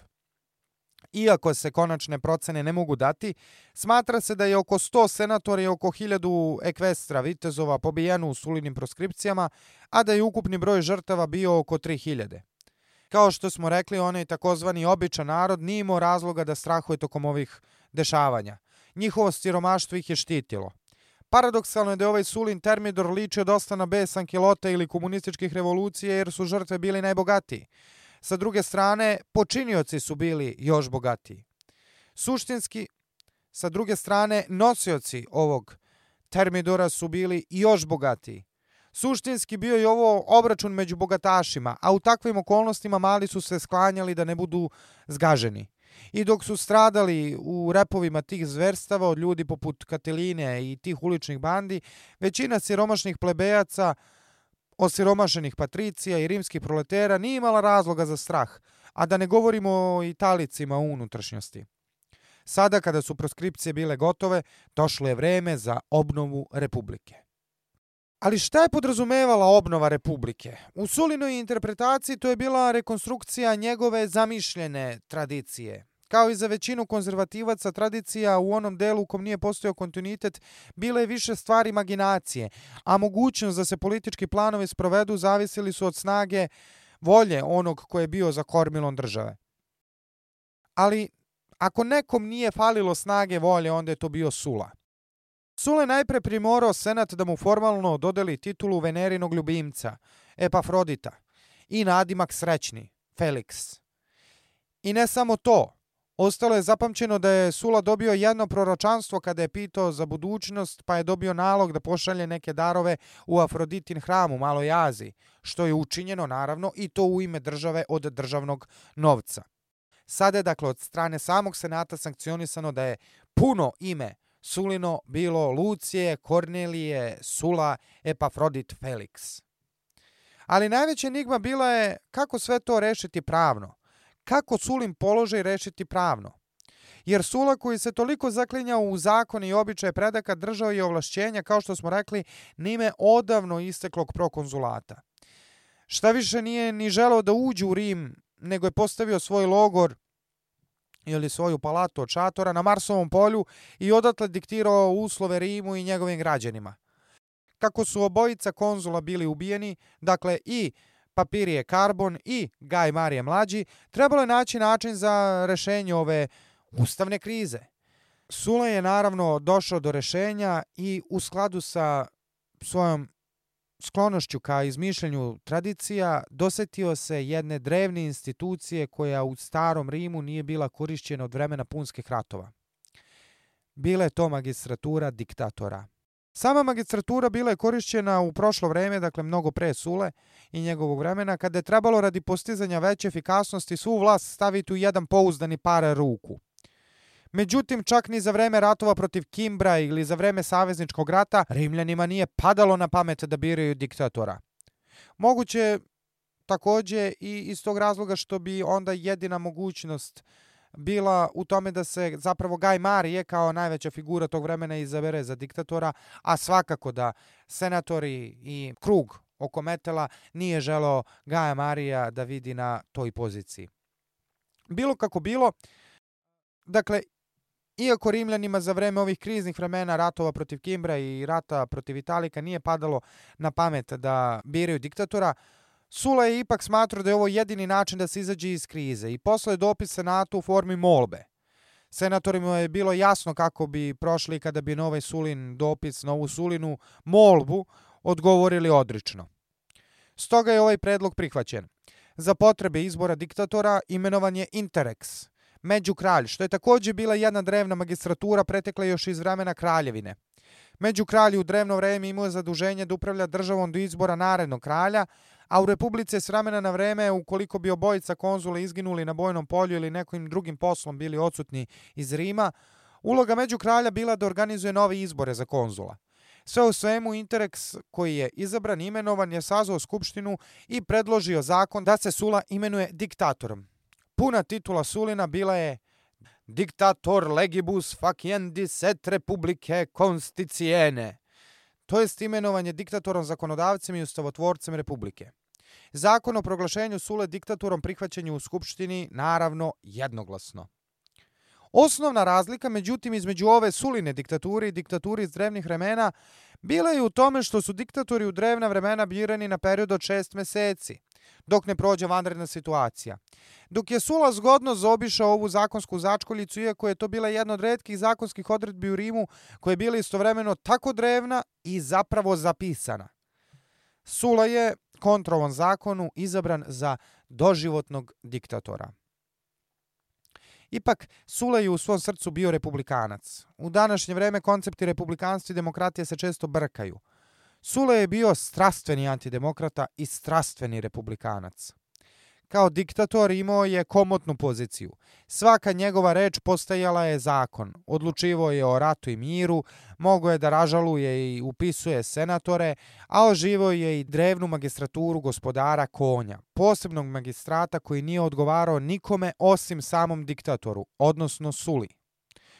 Iako se konačne procene ne mogu dati, smatra se da je oko 100 senatora i oko 1000 ekvestra vitezova pobijeno u Sulinim proskripcijama, a da je ukupni broj žrtava bio oko 3000. Kao što smo rekli, onaj takozvani običan narod nije imao razloga da strahuje tokom ovih dešavanja. Njihovo siromaštvo ih je štitilo. Paradoksalno je da je ovaj Sulin Termidor ličio dosta na bes Ankilota ili komunističkih revolucija jer su žrtve bili najbogatiji. Sa druge strane, počinioci su bili još bogatiji. Suštinski, sa druge strane, nosioci ovog Termidora su bili još bogatiji. Suštinski bio je ovo obračun među bogatašima, a u takvim okolnostima mali su se sklanjali da ne budu zgaženi. I dok su stradali u repovima tih zverstava od ljudi poput Kateline i tih uličnih bandi, većina siromašnih plebejaca, osiromašenih patricija i rimskih proletera nije imala razloga za strah, a da ne govorimo o Italicima u unutrašnjosti. Sada, kada su proskripcije bile gotove, došlo je vreme za obnovu Republike. Ali šta je podrazumevala obnova Republike? U Sulinoj interpretaciji to je bila rekonstrukcija njegove zamišljene tradicije. Kao i za većinu konzervativaca, tradicija u onom delu u kom nije postojao kontinuitet bila je više stvar imaginacije, a mogućnost da se politički planovi sprovedu zavisili su od snage volje onog ko je bio za kormilom države. Ali ako nekom nije falilo snage volje, onda je to bio Sula. Sula je najpre primorao senat da mu formalno dodeli titulu Venerinog ljubimca, Epafrodita, i nadimak srećni, Felix. I ne samo to, ostalo je zapamćeno da je Sula dobio jedno proročanstvo kada je pitao za budućnost, pa je dobio nalog da pošalje neke darove u Afroditin hram u Maloj Aziji, što je učinjeno naravno i to u ime države od državnog novca. Sada je dakle od strane samog senata sankcionisano da je puno ime Sulino bilo Lucije, Kornelije, Sula, Epafrodit, Felix. Ali najveća enigma bila je kako sve to rešiti pravno. Kako Sulin položaj rešiti pravno? Jer Sula, koji se toliko zaklinjao u zakone i običaje predaka, držao je ovlašćenja, kao što smo rekli, nime odavno isteklog prokonzulata. Šta više, nije ni želeo da uđe u Rim, nego je postavio svoj logor ili svoju palatu od šatora na Marsovom polju i odatle diktirao uslove Rimu i njegovim građanima. Kako su obojica konzula bili ubijeni, dakle i Papirije Karbon i Gaj Marije Mlađi, trebalo je naći način za rešenje ove ustavne krize. Sula je naravno došao do rešenja i u skladu sa svojom sklonošću ka izmišljanju tradicija dosetio se jedne drevne institucije koja u starom Rimu nije bila korišćena od vremena punskih ratova. Bila je to magistratura diktatora. Sama magistratura bila je korišćena u prošlo vreme, dakle mnogo pre Sule i njegovog vremena, kada je trebalo radi postizanja veće efikasnosti svu vlast staviti u jedan pouzdani par ruku. Međutim, čak ni za vreme ratova protiv Kimbra ili za vreme savezničkog rata, Rimljanima nije padalo na pamet da biraju diktatora. Moguće također i iz tog razloga što bi onda jedina mogućnost bila u tome da se zapravo Gaj Marije kao najveća figura tog vremena izabere za diktatora, a svakako da senatori i krug oko Metela nije želeo Gaja Marija da vidi na toj poziciji. Bilo kako bilo, dakle, iako Rimljanima za vreme ovih kriznih vremena ratova protiv Kimbra i rata protiv Italika nije padalo na pamet da biraju diktatora, Sula je ipak smatrao da je ovo jedini način da se izađe iz krize i poslao je dopis senatu u formi molbe. Senatorima je bilo jasno kako bi prošli kada bi na ovaj Sulin dopis, na ovu Sulinu molbu odgovorili odrično. Stoga je ovaj predlog prihvaćen. Za potrebe izbora diktatora imenovan je Interrex, međukralj, što je također bila jedna drevna magistratura pretekla još iz vremena kraljevine. Međukralj u drevno vreme imao zaduženje da upravlja državom do izbora narednog kralja, a u Republici s vremena na vreme, ukoliko bi obojica konzula izginuli na bojnom polju ili nekim drugim poslom bili odsutni iz Rima, uloga međukralja bila da organizuje nove izbore za konzula. Sve u svemu, Interrex koji je izabran i imenovan je sazvao skupštinu i predložio zakon da se Sula imenuje diktatorom. Puna titula Sulina bila je Dictator legibus faciendis et republicae constitiene, to jest imenovanje diktatorom, zakonodavcem i ustavotvorcem republike. Zakon o proglašenju Sule diktatorom prihvaćen je u skupštini, naravno, jednoglasno. Osnovna razlika, međutim, između ove Suline diktature i diktaturi iz drevnih vremena bila je u tome što su diktatori u drevna vremena birani na period od 6 meseci, dok ne prođe vanredna situacija. Dok je Sula zgodno zaobišao ovu zakonsku začkoljicu, iako je to bila jedna od retkih zakonskih odredbi u Rimu koja je bila istovremeno tako drevna i zapravo zapisana. Sula je kontra ovom zakonu izabran za doživotnog diktatora. Ipak, Sula je u svom srcu bio republikanac. U današnje vreme koncepti republikanstva i demokratije se često brkaju. Sula je bio strastveni antidemokrata i strastveni republikanac. Kao diktator imao je komotnu poziciju. Svaka njegova reč postajala je zakon. Odlučivao je o ratu i miru, mogao je da ražaluje i upisuje senatore, a oživao je i drevnu magistraturu gospodara konja, posebnog magistrata koji nije odgovarao nikome osim samom diktatoru, odnosno Suli.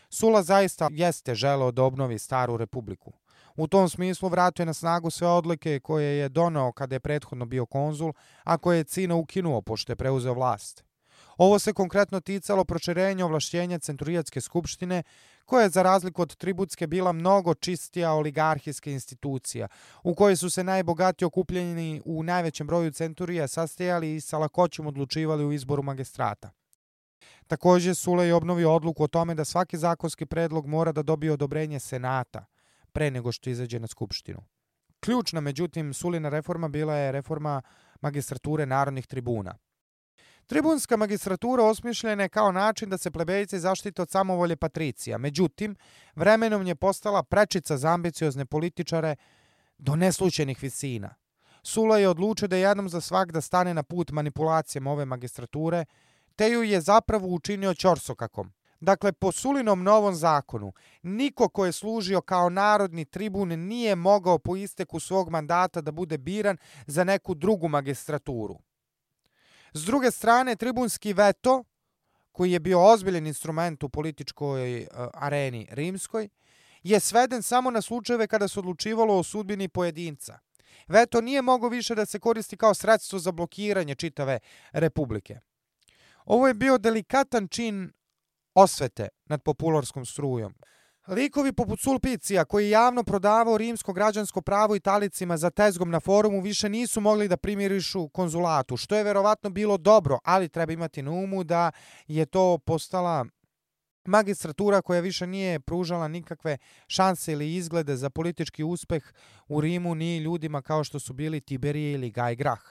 Sula zaista jeste želeo da obnovi staru republiku. U tom smislu vratio je na snagu sve odluke koje je doneo kada je prethodno bio konzul, a koje je Cina ukinuo pošto je preuzeo vlast. Ovo se konkretno ticalo proširenja ovlašćenja Centurijatske skupštine, koja je za razliku od tributske bila mnogo čistija oligarhijska institucija, u kojoj su se najbogatiji okupljeni u najvećem broju centurija sastajali i sa lakoćom odlučivali u izboru magistrata. Također Sula je obnovio odluku o tome da svaki zakonski predlog mora da dobije odobrenje senata pre nego što izađe na skupštinu. Ključna, međutim, Sulina reforma bila je reforma magistrature narodnih tribuna. Tribunska magistratura osmišljena je kao način da se plebejci zaštite od samovolje patricija, međutim, vremenom je postala prečica za ambiciozne političare do neslućenih visina. Sula je odlučio da jednom za svak da stane na put manipulacijama ove magistrature, te ju je zapravo učinio ćorsokakom. Dakle, po Sulinom novom zakonu, niko ko je služio kao narodni tribun nije mogao po isteku svog mandata da bude biran za neku drugu magistraturu. S druge strane, tribunski veto, koji je bio ozbiljan instrument u političkoj areni rimskoj, je sveden samo na slučajeve kada se odlučivalo o sudbini pojedinca. Veto nije mogao više da se koristi kao sredstvo za blokiranje čitave republike. Ovo je bio delikatan čin osvete nad popularskom strujom. Likovi poput Sulpicija, koji je javno prodavao rimsko građansko pravo Italicima za tezgom na forumu, više nisu mogli da primirišu konzulatu, što je verovatno bilo dobro, ali treba imati na umu da je to postala magistratura koja više nije pružala nikakve šanse ili izglede za politički uspeh u Rimu ni ljudima kao što su bili Tiberije ili Gaj Grah.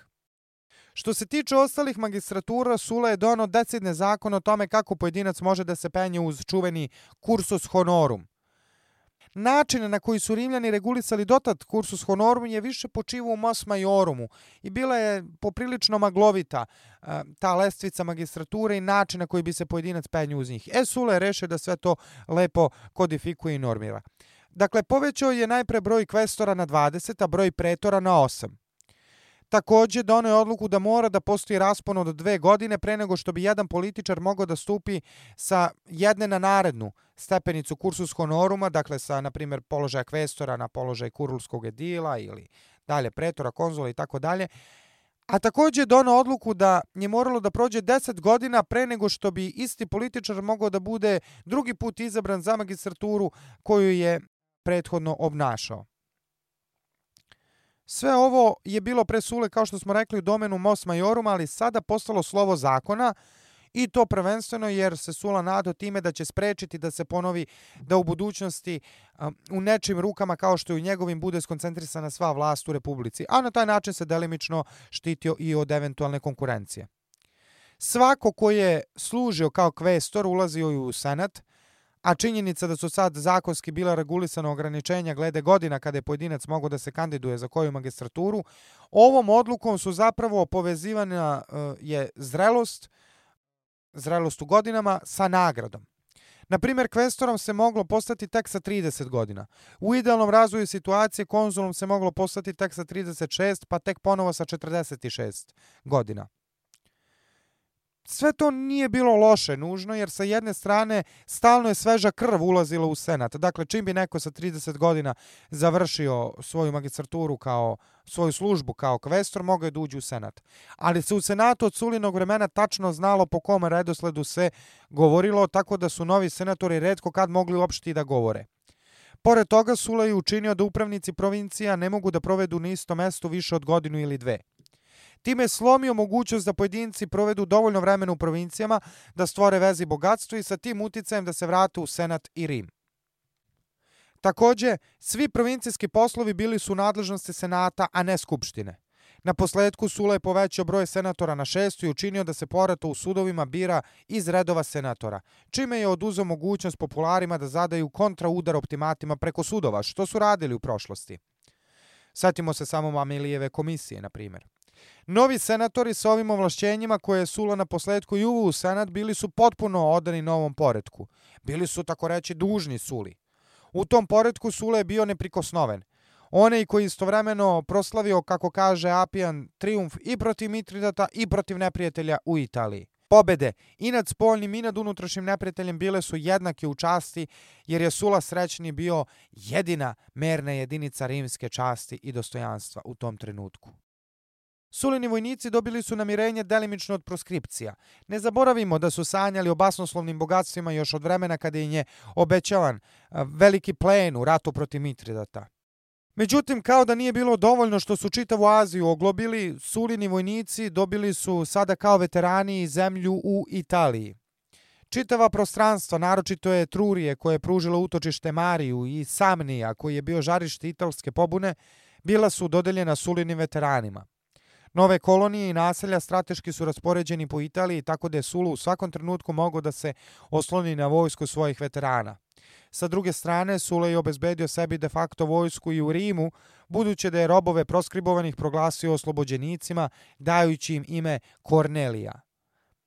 Što se tiče ostalih magistratura, Sula je doneo decidne zakon o tome kako pojedinac može da se penje uz čuveni cursus honorum. Način na koji su Rimljani regulisali dotad cursus honorum je više počivao u mos majorumu i bila je poprilično maglovita ta lestvica magistrature i način na koji bi se pojedinac penju uz njih. Sula je rešio da sve to lepo kodifikuje i normira. Dakle, povećao je najpre broj kvestora na 20, a broj pretora na 8. Takođe, doneo je odluku da mora da postoji raspon od 2 godine pre nego što bi jedan političar mogao da stupi sa jedne na narednu stepenicu cursus honoruma, dakle sa, na primjer, položaja kvestora na položaj kurulskog edila ili dalje pretora, konzula i tako dalje. A takođe je doneo odluku da je moralo da prođe 10 godina pre nego što bi isti političar mogao da bude drugi put izabran za magistraturu koju je prethodno obnašao. Sve ovo je bilo pre Sule, kao što smo rekli, u domenu Mos Majoruma, ali sada postalo slovo zakona i to prvenstveno jer se Sula nadao time da će sprečiti da se ponovi da u budućnosti u nečim rukama kao što je u njegovim bude skoncentrisana sva vlast u Republici, a na taj način se delimično štitio i od eventualne konkurencije. Svako ko je služio kao kvestor ulazio i u senat, a činjenica da su sad zakonski bila regulisana ograničenja glede godina kada je pojedinac mogao da se kandiduje za koju magistraturu, ovom odlukom su zapravo povezivana je zrelost u godinama sa nagradom. Na primjer, kvestorom se moglo postati tek sa 30 godina. U idealnom razvoju situacije konzulom se moglo postati tek sa 36, pa tek ponovo sa 46 godina. Sve to nije bilo loše nužno, jer sa jedne strane stalno je sveža krv ulazila u senat. Dakle, čim bi neko sa 30 godina završio svoju magistraturu svoju službu kao kvestor, mogao je da uđe u senat. Ali se u senatu od Sulinog vremena tačno znalo po kom redosledu se govorilo, tako da su novi senatori retko kad mogli uopšte i da govore. Pored toga, Sula je učinio da upravnici provincija ne mogu da provedu na istom mestu više od godinu ili 2. Time je slomio mogućnost da pojedinci provedu dovoljno vremena u provincijama, da stvore veze i bogatstvo i sa tim uticajem da se vrate u senat i Rim. Takođe, svi provincijski poslovi bili su u nadležnosti senata, a ne skupštine. Na posledku Sula je povećao broj senatora na 6 i učinio da se porato u sudovima bira iz redova senatora, čime je oduzeo mogućnost popularima da zadaju kontraudar optimatima preko sudova, što su radili u prošlosti. Setimo se samo Mamilijeve komisije, na primjer. Novi senatori sa ovim ovlašćenjima koje je Sula na posledku i uveo u senat bili su potpuno odani novom poretku. Bili su, tako reći, dužni Suli. U tom poretku Sula je bio neprikosnoven. Onaj koji istovremeno proslavio, kako kaže Apijan, trijumf i protiv Mitridata i protiv neprijatelja u Italiji. Pobede i nad spoljnim i nad unutrašnjim neprijateljem bile su jednake u časti, jer je Sula srećni bio jedina merna jedinica rimske časti i dostojanstva u tom trenutku. Sulini vojnici dobili su namirenje delimično od proskripcija. Ne zaboravimo da su sanjali o basnoslovnim bogatstvima još od vremena kada im je obećavan veliki plen u ratu protiv Mitridata. Međutim, kao da nije bilo dovoljno što su čitavu Aziju oglobili, Sulini vojnici dobili su sada kao veterani zemlju u Italiji. Čitava prostranstva, naročito je Etrurije koje je pružilo utočište Mariju i Samnija koji je bio žarište italske pobune, bila su dodeljena Sulinim veteranima. Nove kolonije i naselja strateški su raspoređeni po Italiji, tako da je Sula u svakom trenutku mogao da se osloni na vojsku svojih veterana. Sa druge strane, Sula je obezbedio sebi de facto vojsku i u Rimu, budući da je robove proskribovanih proglasio oslobođenicima, dajući im ime Kornelija.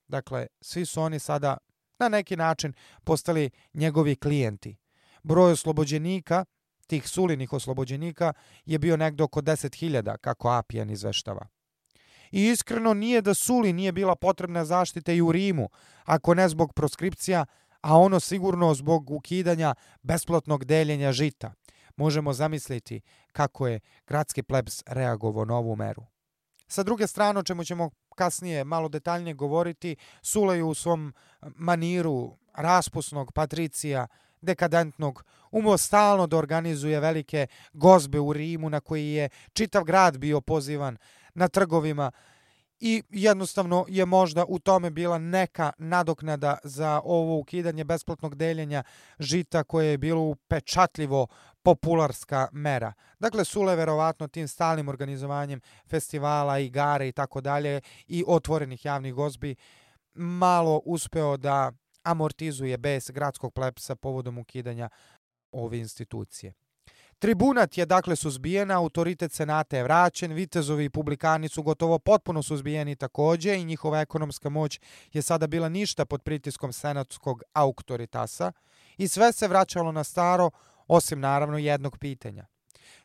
Dakle, svi su oni sada na neki način postali njegovi klijenti. Broj oslobođenika, tih Sulinih oslobođenika, je bio negdje oko 10.000, kako Apijan izveštava. I iskreno nije da Suli nije bila potrebna zaštita i u Rimu, ako ne zbog proskripcija, a ono sigurno zbog ukidanja besplatnog deljenja žita. Možemo zamisliti kako je gradski plebs reagovao na ovu meru. Sa druge strane, o čemu ćemo kasnije malo detaljnije govoriti, Sula je u svom maniru raspusnog patricija, dekadentnog, umeo stalno da organizuje velike gozbe u Rimu na koji je čitav grad bio pozivan na trgovima i jednostavno je možda u tome bila neka nadoknada za ovo ukidanje besplatnog deljenja žita koje je bilo upečatljivo popularska mera. Dakle, Sula je verovatno tim stalnim organizovanjem festivala, igara i tako dalje i otvorenih javnih gozbi malo uspeo da amortizuje bes gradskog plebsa povodom ukidanja ove institucije. Tribunat je dakle suzbijen, autoritet senata je vraćen, vitezovi i publikani su gotovo potpuno suzbijeni takođe i njihova ekonomska moć je sada bila ništa pod pritiskom senatskog auktoritasa i sve se vraćalo na staro, osim naravno jednog pitanja.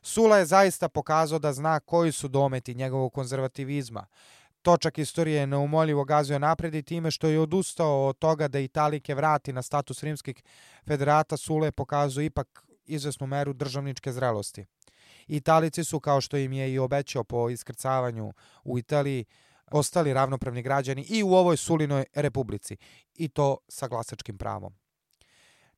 Sula je zaista pokazao da zna koji su dometi njegovog konzervativizma. Točak istorije je neumoljivo gazio napred i time što je odustao od toga da Italike vrati na status rimskih federata, Sula je pokazao ipak izvesnu meru državničke zrelosti. Italici su, kao što im je i obećao po iskrcavanju u Italiji, ostali ravnopravni građani i u ovoj Sulinoj republici, i to sa glasačkim pravom.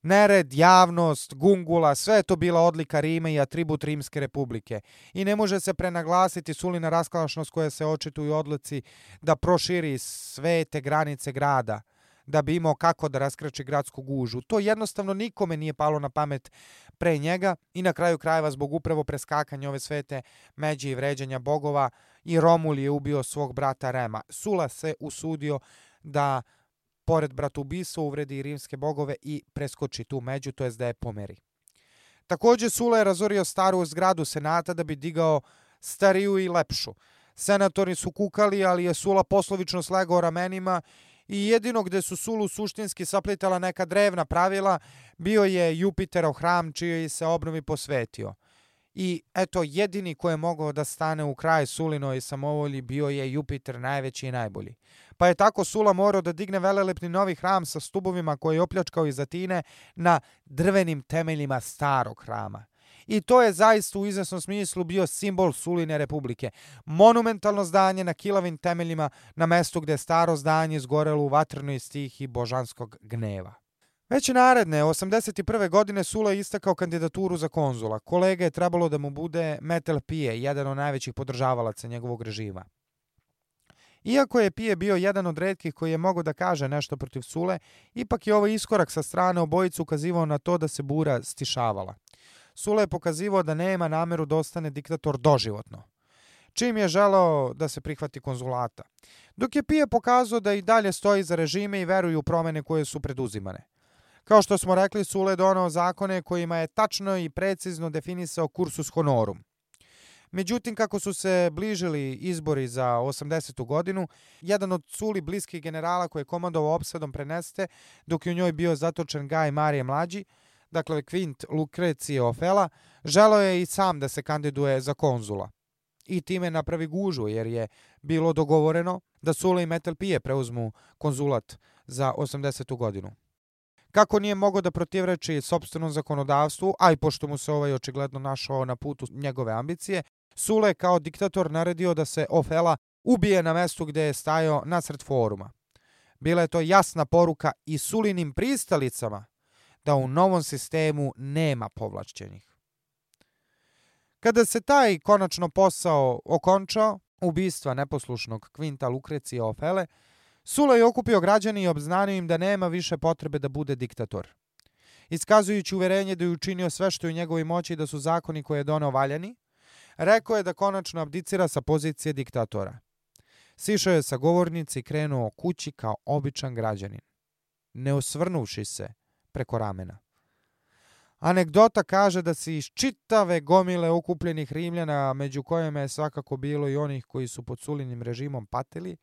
Nered, javnost, gungula, sve je to bila odlika Rima i atribut Rimske republike. I ne može se prenaglasiti Sulina raskalašnost koja se očituje u odluci da proširi svete granice grada, da bi imao kako da raskrči gradsku gužu. To jednostavno nikome nije palo na pamet pre njega i na kraju krajeva zbog upravo preskakanja ove svete međe i vređanja bogova i Romul je ubio svog brata Rema. Sula se usudio da pored bratoubistva uvredi i rimske bogove i preskoči tu među, to jest da je pomeri. Također Sula je razorio staru zgradu senata da bi digao stariju i lepšu. Senatori su kukali, ali je Sula poslovično slegao ramenima i jedino gde su Sulu suštinski saplitala neka drevna pravila bio je Jupiterov hram čijoj se obnovi posvetio. I eto, jedini ko je mogao da stane u kraj Sulinoj samovolji bio je Jupiter, najveći i najbolji. Pa je tako Sula morao da digne velelepni novi hram sa stubovima koji je opljačkao iz Atine na drvenim temeljima starog hrama. I to je zaista u izvesnom smislu bio simbol Suline republike. Monumentalno zdanje na kilavim temeljima na mestu gde je staro zdanje izgorelo u vatrenoj stihi božanskog gneva. Već naredne, 81. godine Sula je istakao kandidaturu za konzula. Kolega je trebalo da mu bude Metel Pije, jedan od najvećih podržavalaca njegovog režima. Iako je Pije bio jedan od retkih koji je mogao da kaže nešto protiv Sule, ipak je ovaj iskorak sa strane obojicu ukazivao na to da se bura stišavala. Sula je pokazivao da nema nameru da ostane diktator doživotno, čim je želeo da se prihvati konzulata. Dok je Pije pokazao da i dalje stoji za režime i veruje u promene koje su preduzimane. Kao što smo rekli, Sula je doneo zakone kojima je tačno i precizno definisao cursus honorum. Međutim, kako su se bližili izbori za 80. godinu, jedan od Suli bliskih generala koji je komandovao opsadom Preneste, dok je u njoj bio zatočen Gaj Marije Mlađi, dakle Quint Lucrecije Ofela, želeo je i sam da se kandiduje za konzula. I time napravi gužu, jer je bilo dogovoreno da Sula i Metel Pije preuzmu konzulat za 80. godinu. Kako nije mogao da protivreči sopstvenom zakonodavstvu, a i pošto mu se ovaj očigledno našao na putu njegove ambicije, Sula je kao diktator naredio da se Ofela ubije na mestu gde je stajao nasred foruma. Bila je to jasna poruka i Sulinim pristalicama da u novom sistemu nema povlašćenih. Kada se taj konačno posao okončao, ubistva neposlušnog Quinta Lucrecije Ofele, Sula je okupio građane i obznanio im da nema više potrebe da bude diktator. Iskazujući uverenje da je učinio sve što je u njegovoj moći i da su zakoni koje je doneo valjani, rekao je da konačno abdicira sa pozicije diktatora. Sišao je sa govornice i krenuo kući kao običan građanin, ne osvrnuvši se preko ramena. Anegdota kaže da se iz čitave gomile okupljenih Rimljana, među kojima je svakako bilo i onih koji su pod Sulinim režimom patili,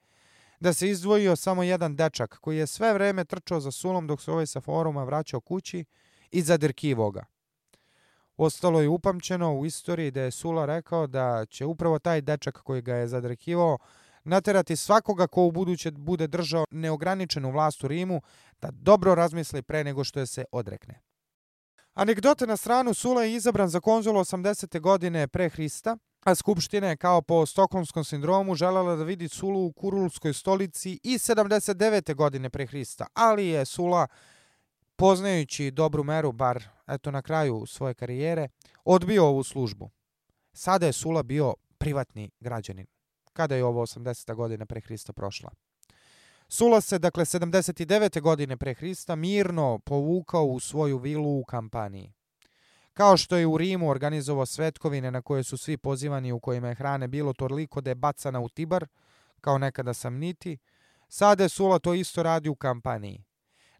da se izdvojio samo jedan dečak koji je sve vreme trčao za Sulom dok se ovaj sa foruma vraćao kući i zadirkivao ga. Ostalo je upamćeno u istoriji da je Sula rekao da će upravo taj dečak koji ga je zadrkivao naterati svakoga ko u buduće bude držao neograničenu vlast u Rimu da dobro razmisli pre nego što je se odrekne. Anegdote na stranu, Sula je izabran za konzula 80. godine pre Hrista, a Skupština je kao po stokholmskom sindromu želela da vidi Sulu u Kurulskoj stolici i 79. godine pre Hrista, ali je Sula, poznajući dobru meru, bar eto na kraju svoje karijere, odbio ovu službu. Sada je Sula bio privatni građanin, kada je ovo 80. godina pre Hrista prošla. Sula se, dakle, 79. godine pre Hrista mirno povukao u svoju vilu u Kampaniji. Kao što je u Rimu organizovao svetkovine na koje su svi pozivani, u kojima je hrane bilo toliko da je bacana u Tibar, kao nekada Samniti, sada je Sula to isto radi u Kampaniji.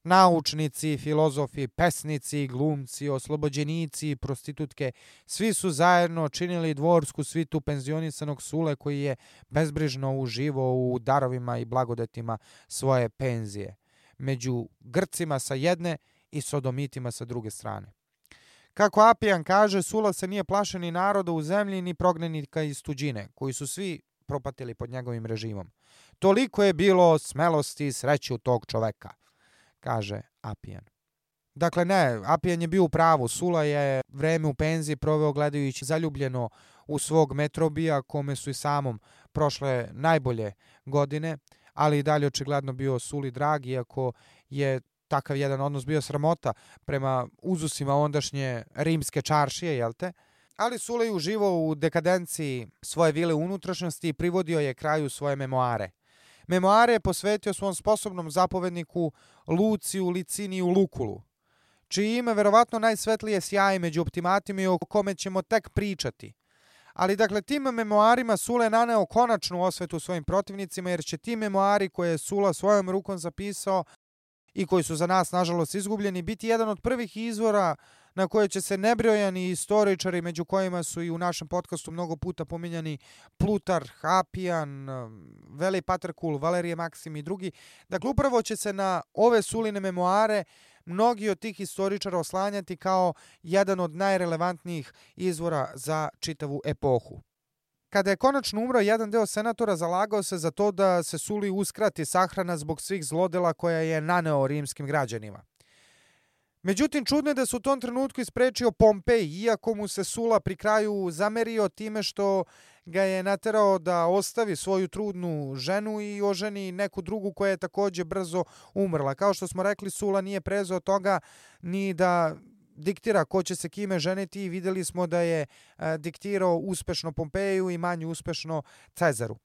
Naučnici, filozofi, pesnici, glumci, oslobođenici, prostitutke, svi su zajedno činili dvorsku svitu penzionisanog Sule koji je bezbrižno uživao u darovima i blagodetima svoje penzije, među Grcima sa jedne i Sodomitima sa druge strane. Kako Apijan kaže, Sula se nije plašio ni naroda u zemlji, ni prognanika iz tuđine, koji su svi propatili pod njegovim režimom. Toliko je bilo smelosti i sreće u tog čoveka, kaže Apijan. Dakle, ne, Apijan je bio u pravu. Sula je vreme u penziji proveo gledajući zaljubljeno u svog Metrobija, kome su i samom prošle najbolje godine, ali i dalje očigledno bio Suli drag, iako je takav jedan odnos bio sramota prema uzusima ondašnje rimske čaršije, jel te? Ali Sula je uživao u dekadenciji svoje vile unutrašnjosti i privodio je kraju svoje memoare. Memoare je posvetio svom sposobnom zapovedniku Luciju Liciniju Lukulu, čiji ime verovatno najsvetlije sjaji među optimatima i o kome ćemo tek pričati. Ali dakle, tim memoarima Sula je naneo konačnu osvetu svojim protivnicima, jer će ti memoari koje je Sula svojom rukom zapisao i koji su za nas, nažalost, izgubljeni, biti jedan od prvih izvora na koje će se nebrojani istoričari, među kojima su i u našem podcastu mnogo puta pominjani Plutarh, Apijan, Velej Paterkul, Valerije Maksim i drugi. Dakle, upravo će se na ove Suline memoare mnogi od tih istoričara oslanjati kao jedan od najrelevantnijih izvora za čitavu epohu. Kada je konačno umro, jedan deo senatora zalagao se za to da se Suli uskrati sahrana zbog svih zlodela koja je naneo rimskim građanima. Međutim, čudno je da se u tom trenutku isprečio Pompej, iako mu se Sula pri kraju zamerio time što ga je naterao da ostavi svoju trudnu ženu i oženi neku drugu koja je također brzo umrla. Kao što smo rekli, Sula nije prezao toga ni da diktira ko će se kime ženiti i vidjeli smo da je diktirao uspešno Pompeju i manje uspešno Cezaru.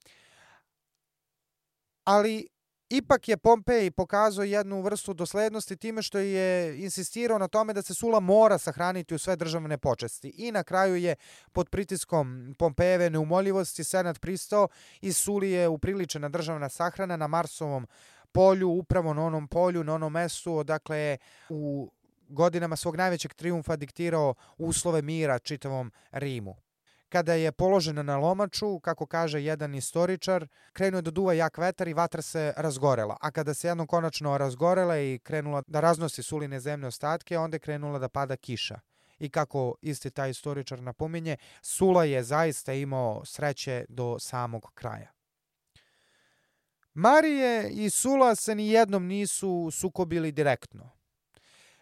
Ali ipak je Pompej pokazao jednu vrstu doslednosti time što je insistirao na tome da se Sula mora sahraniti u sve državne počasti. I na kraju je pod pritiskom Pompejeve neumoljivosti senat pristao i Suli je upriličena državna sahrana na Marsovom polju, upravo na onom polju, na onom mestu odakle je u godinama svog najvećeg trijumfa diktirao uslove mira čitavom Rimu. Kada je položena na lomaču, kako kaže jedan istoričar, krenuo je da duva jak vetar i vatra se razgorela. A kada se jednom konačno razgorela i krenula da raznosi Suline zemlje ostatke, onda je krenula da pada kiša. I kako isti taj istoričar napominje, Sula je zaista imao sreće do samog kraja. Marije i Sula se ni jednom nisu sukobili direktno.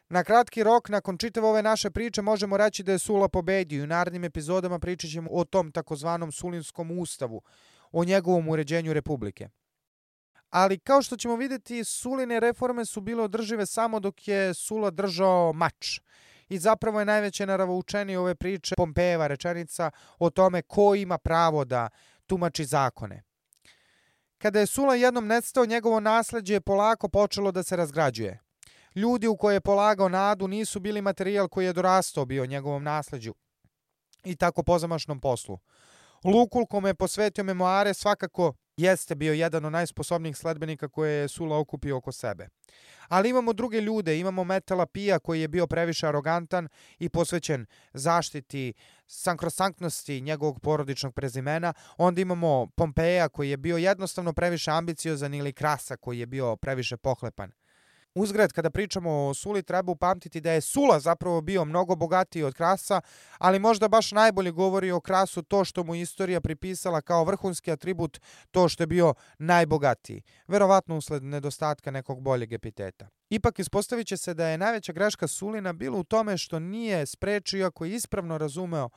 Na kratki rok, nakon čitave ove naše priče, možemo reći da je Sula pobedio i u narednim epizodama pričat ćemo o tom takozvanom Sulinskom ustavu, o njegovom uređenju republike. Ali kao što ćemo vidjeti, Suline reforme su bile održive samo dok je Sula držao mač. I zapravo je najveće naravoučenije ove priče Pompejeva rečenica o tome ko ima pravo da tumači zakone. Kada je Sula jednom nestao, njegovo nasleđe je polako počelo da se razgrađuje. Ljudi u koje je polagao nadu nisu bili materijal koji je dorastao bio njegovom nasleđu i tako pozamašnom poslu. Lukul, kome je posvetio memoare, svakako jeste bio jedan od najsposobnijih sledbenika koje je Sula okupio oko sebe. Ali imamo druge ljude, imamo Metela Pija koji je bio previše arogantan i posvećen zaštiti sankrosanktnosti njegovog porodičnog prezimena. Onda imamo Pompeja koji je bio jednostavno previše ambiciozan ili Krasa koji je bio previše pohlepan. Uzgred, kada pričamo o Suli, treba upamtiti da je Sula zapravo bio mnogo bogatiji od Krasa, ali možda baš najbolje govori o Krasu to što mu istorija pripisala kao vrhunski atribut to što je bio najbogatiji, verovatno usled nedostatka nekog boljeg epiteta. Ipak ispostavit će se da je najveća greška Sulina bila u tome što nije sprečio, ako je ispravno razumeo,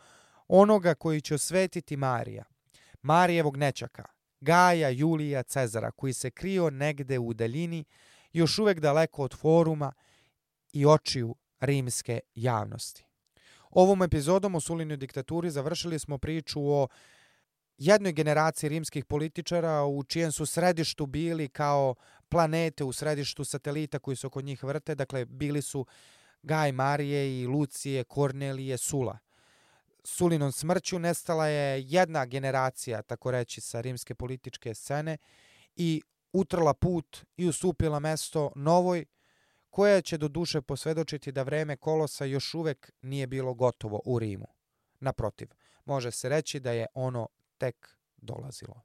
onoga koji će osvetiti Marija, Marijevog nećaka, Gaja Julija Cezara, koji se krio negde u daljini, još uvek daleko od foruma i očiju rimske javnosti. Ovom epizodom o Sulinoj diktaturi završili smo priču o jednoj generaciji rimskih političara u čijem su središtu bili kao planete u središtu satelita koji se oko njih vrte. Dakle, bili su Gaj Marije i Lucije, Kornelije, Sula. Sulinom smrću nestala je jedna generacija, tako reći, sa rimske političke scene i utrla put i ustupila mesto novoj, koja će do duše posvedočiti da vreme Kolosa još uvek nije bilo gotovo u Rimu. Naprotiv, može se reći da je ono tek dolazilo.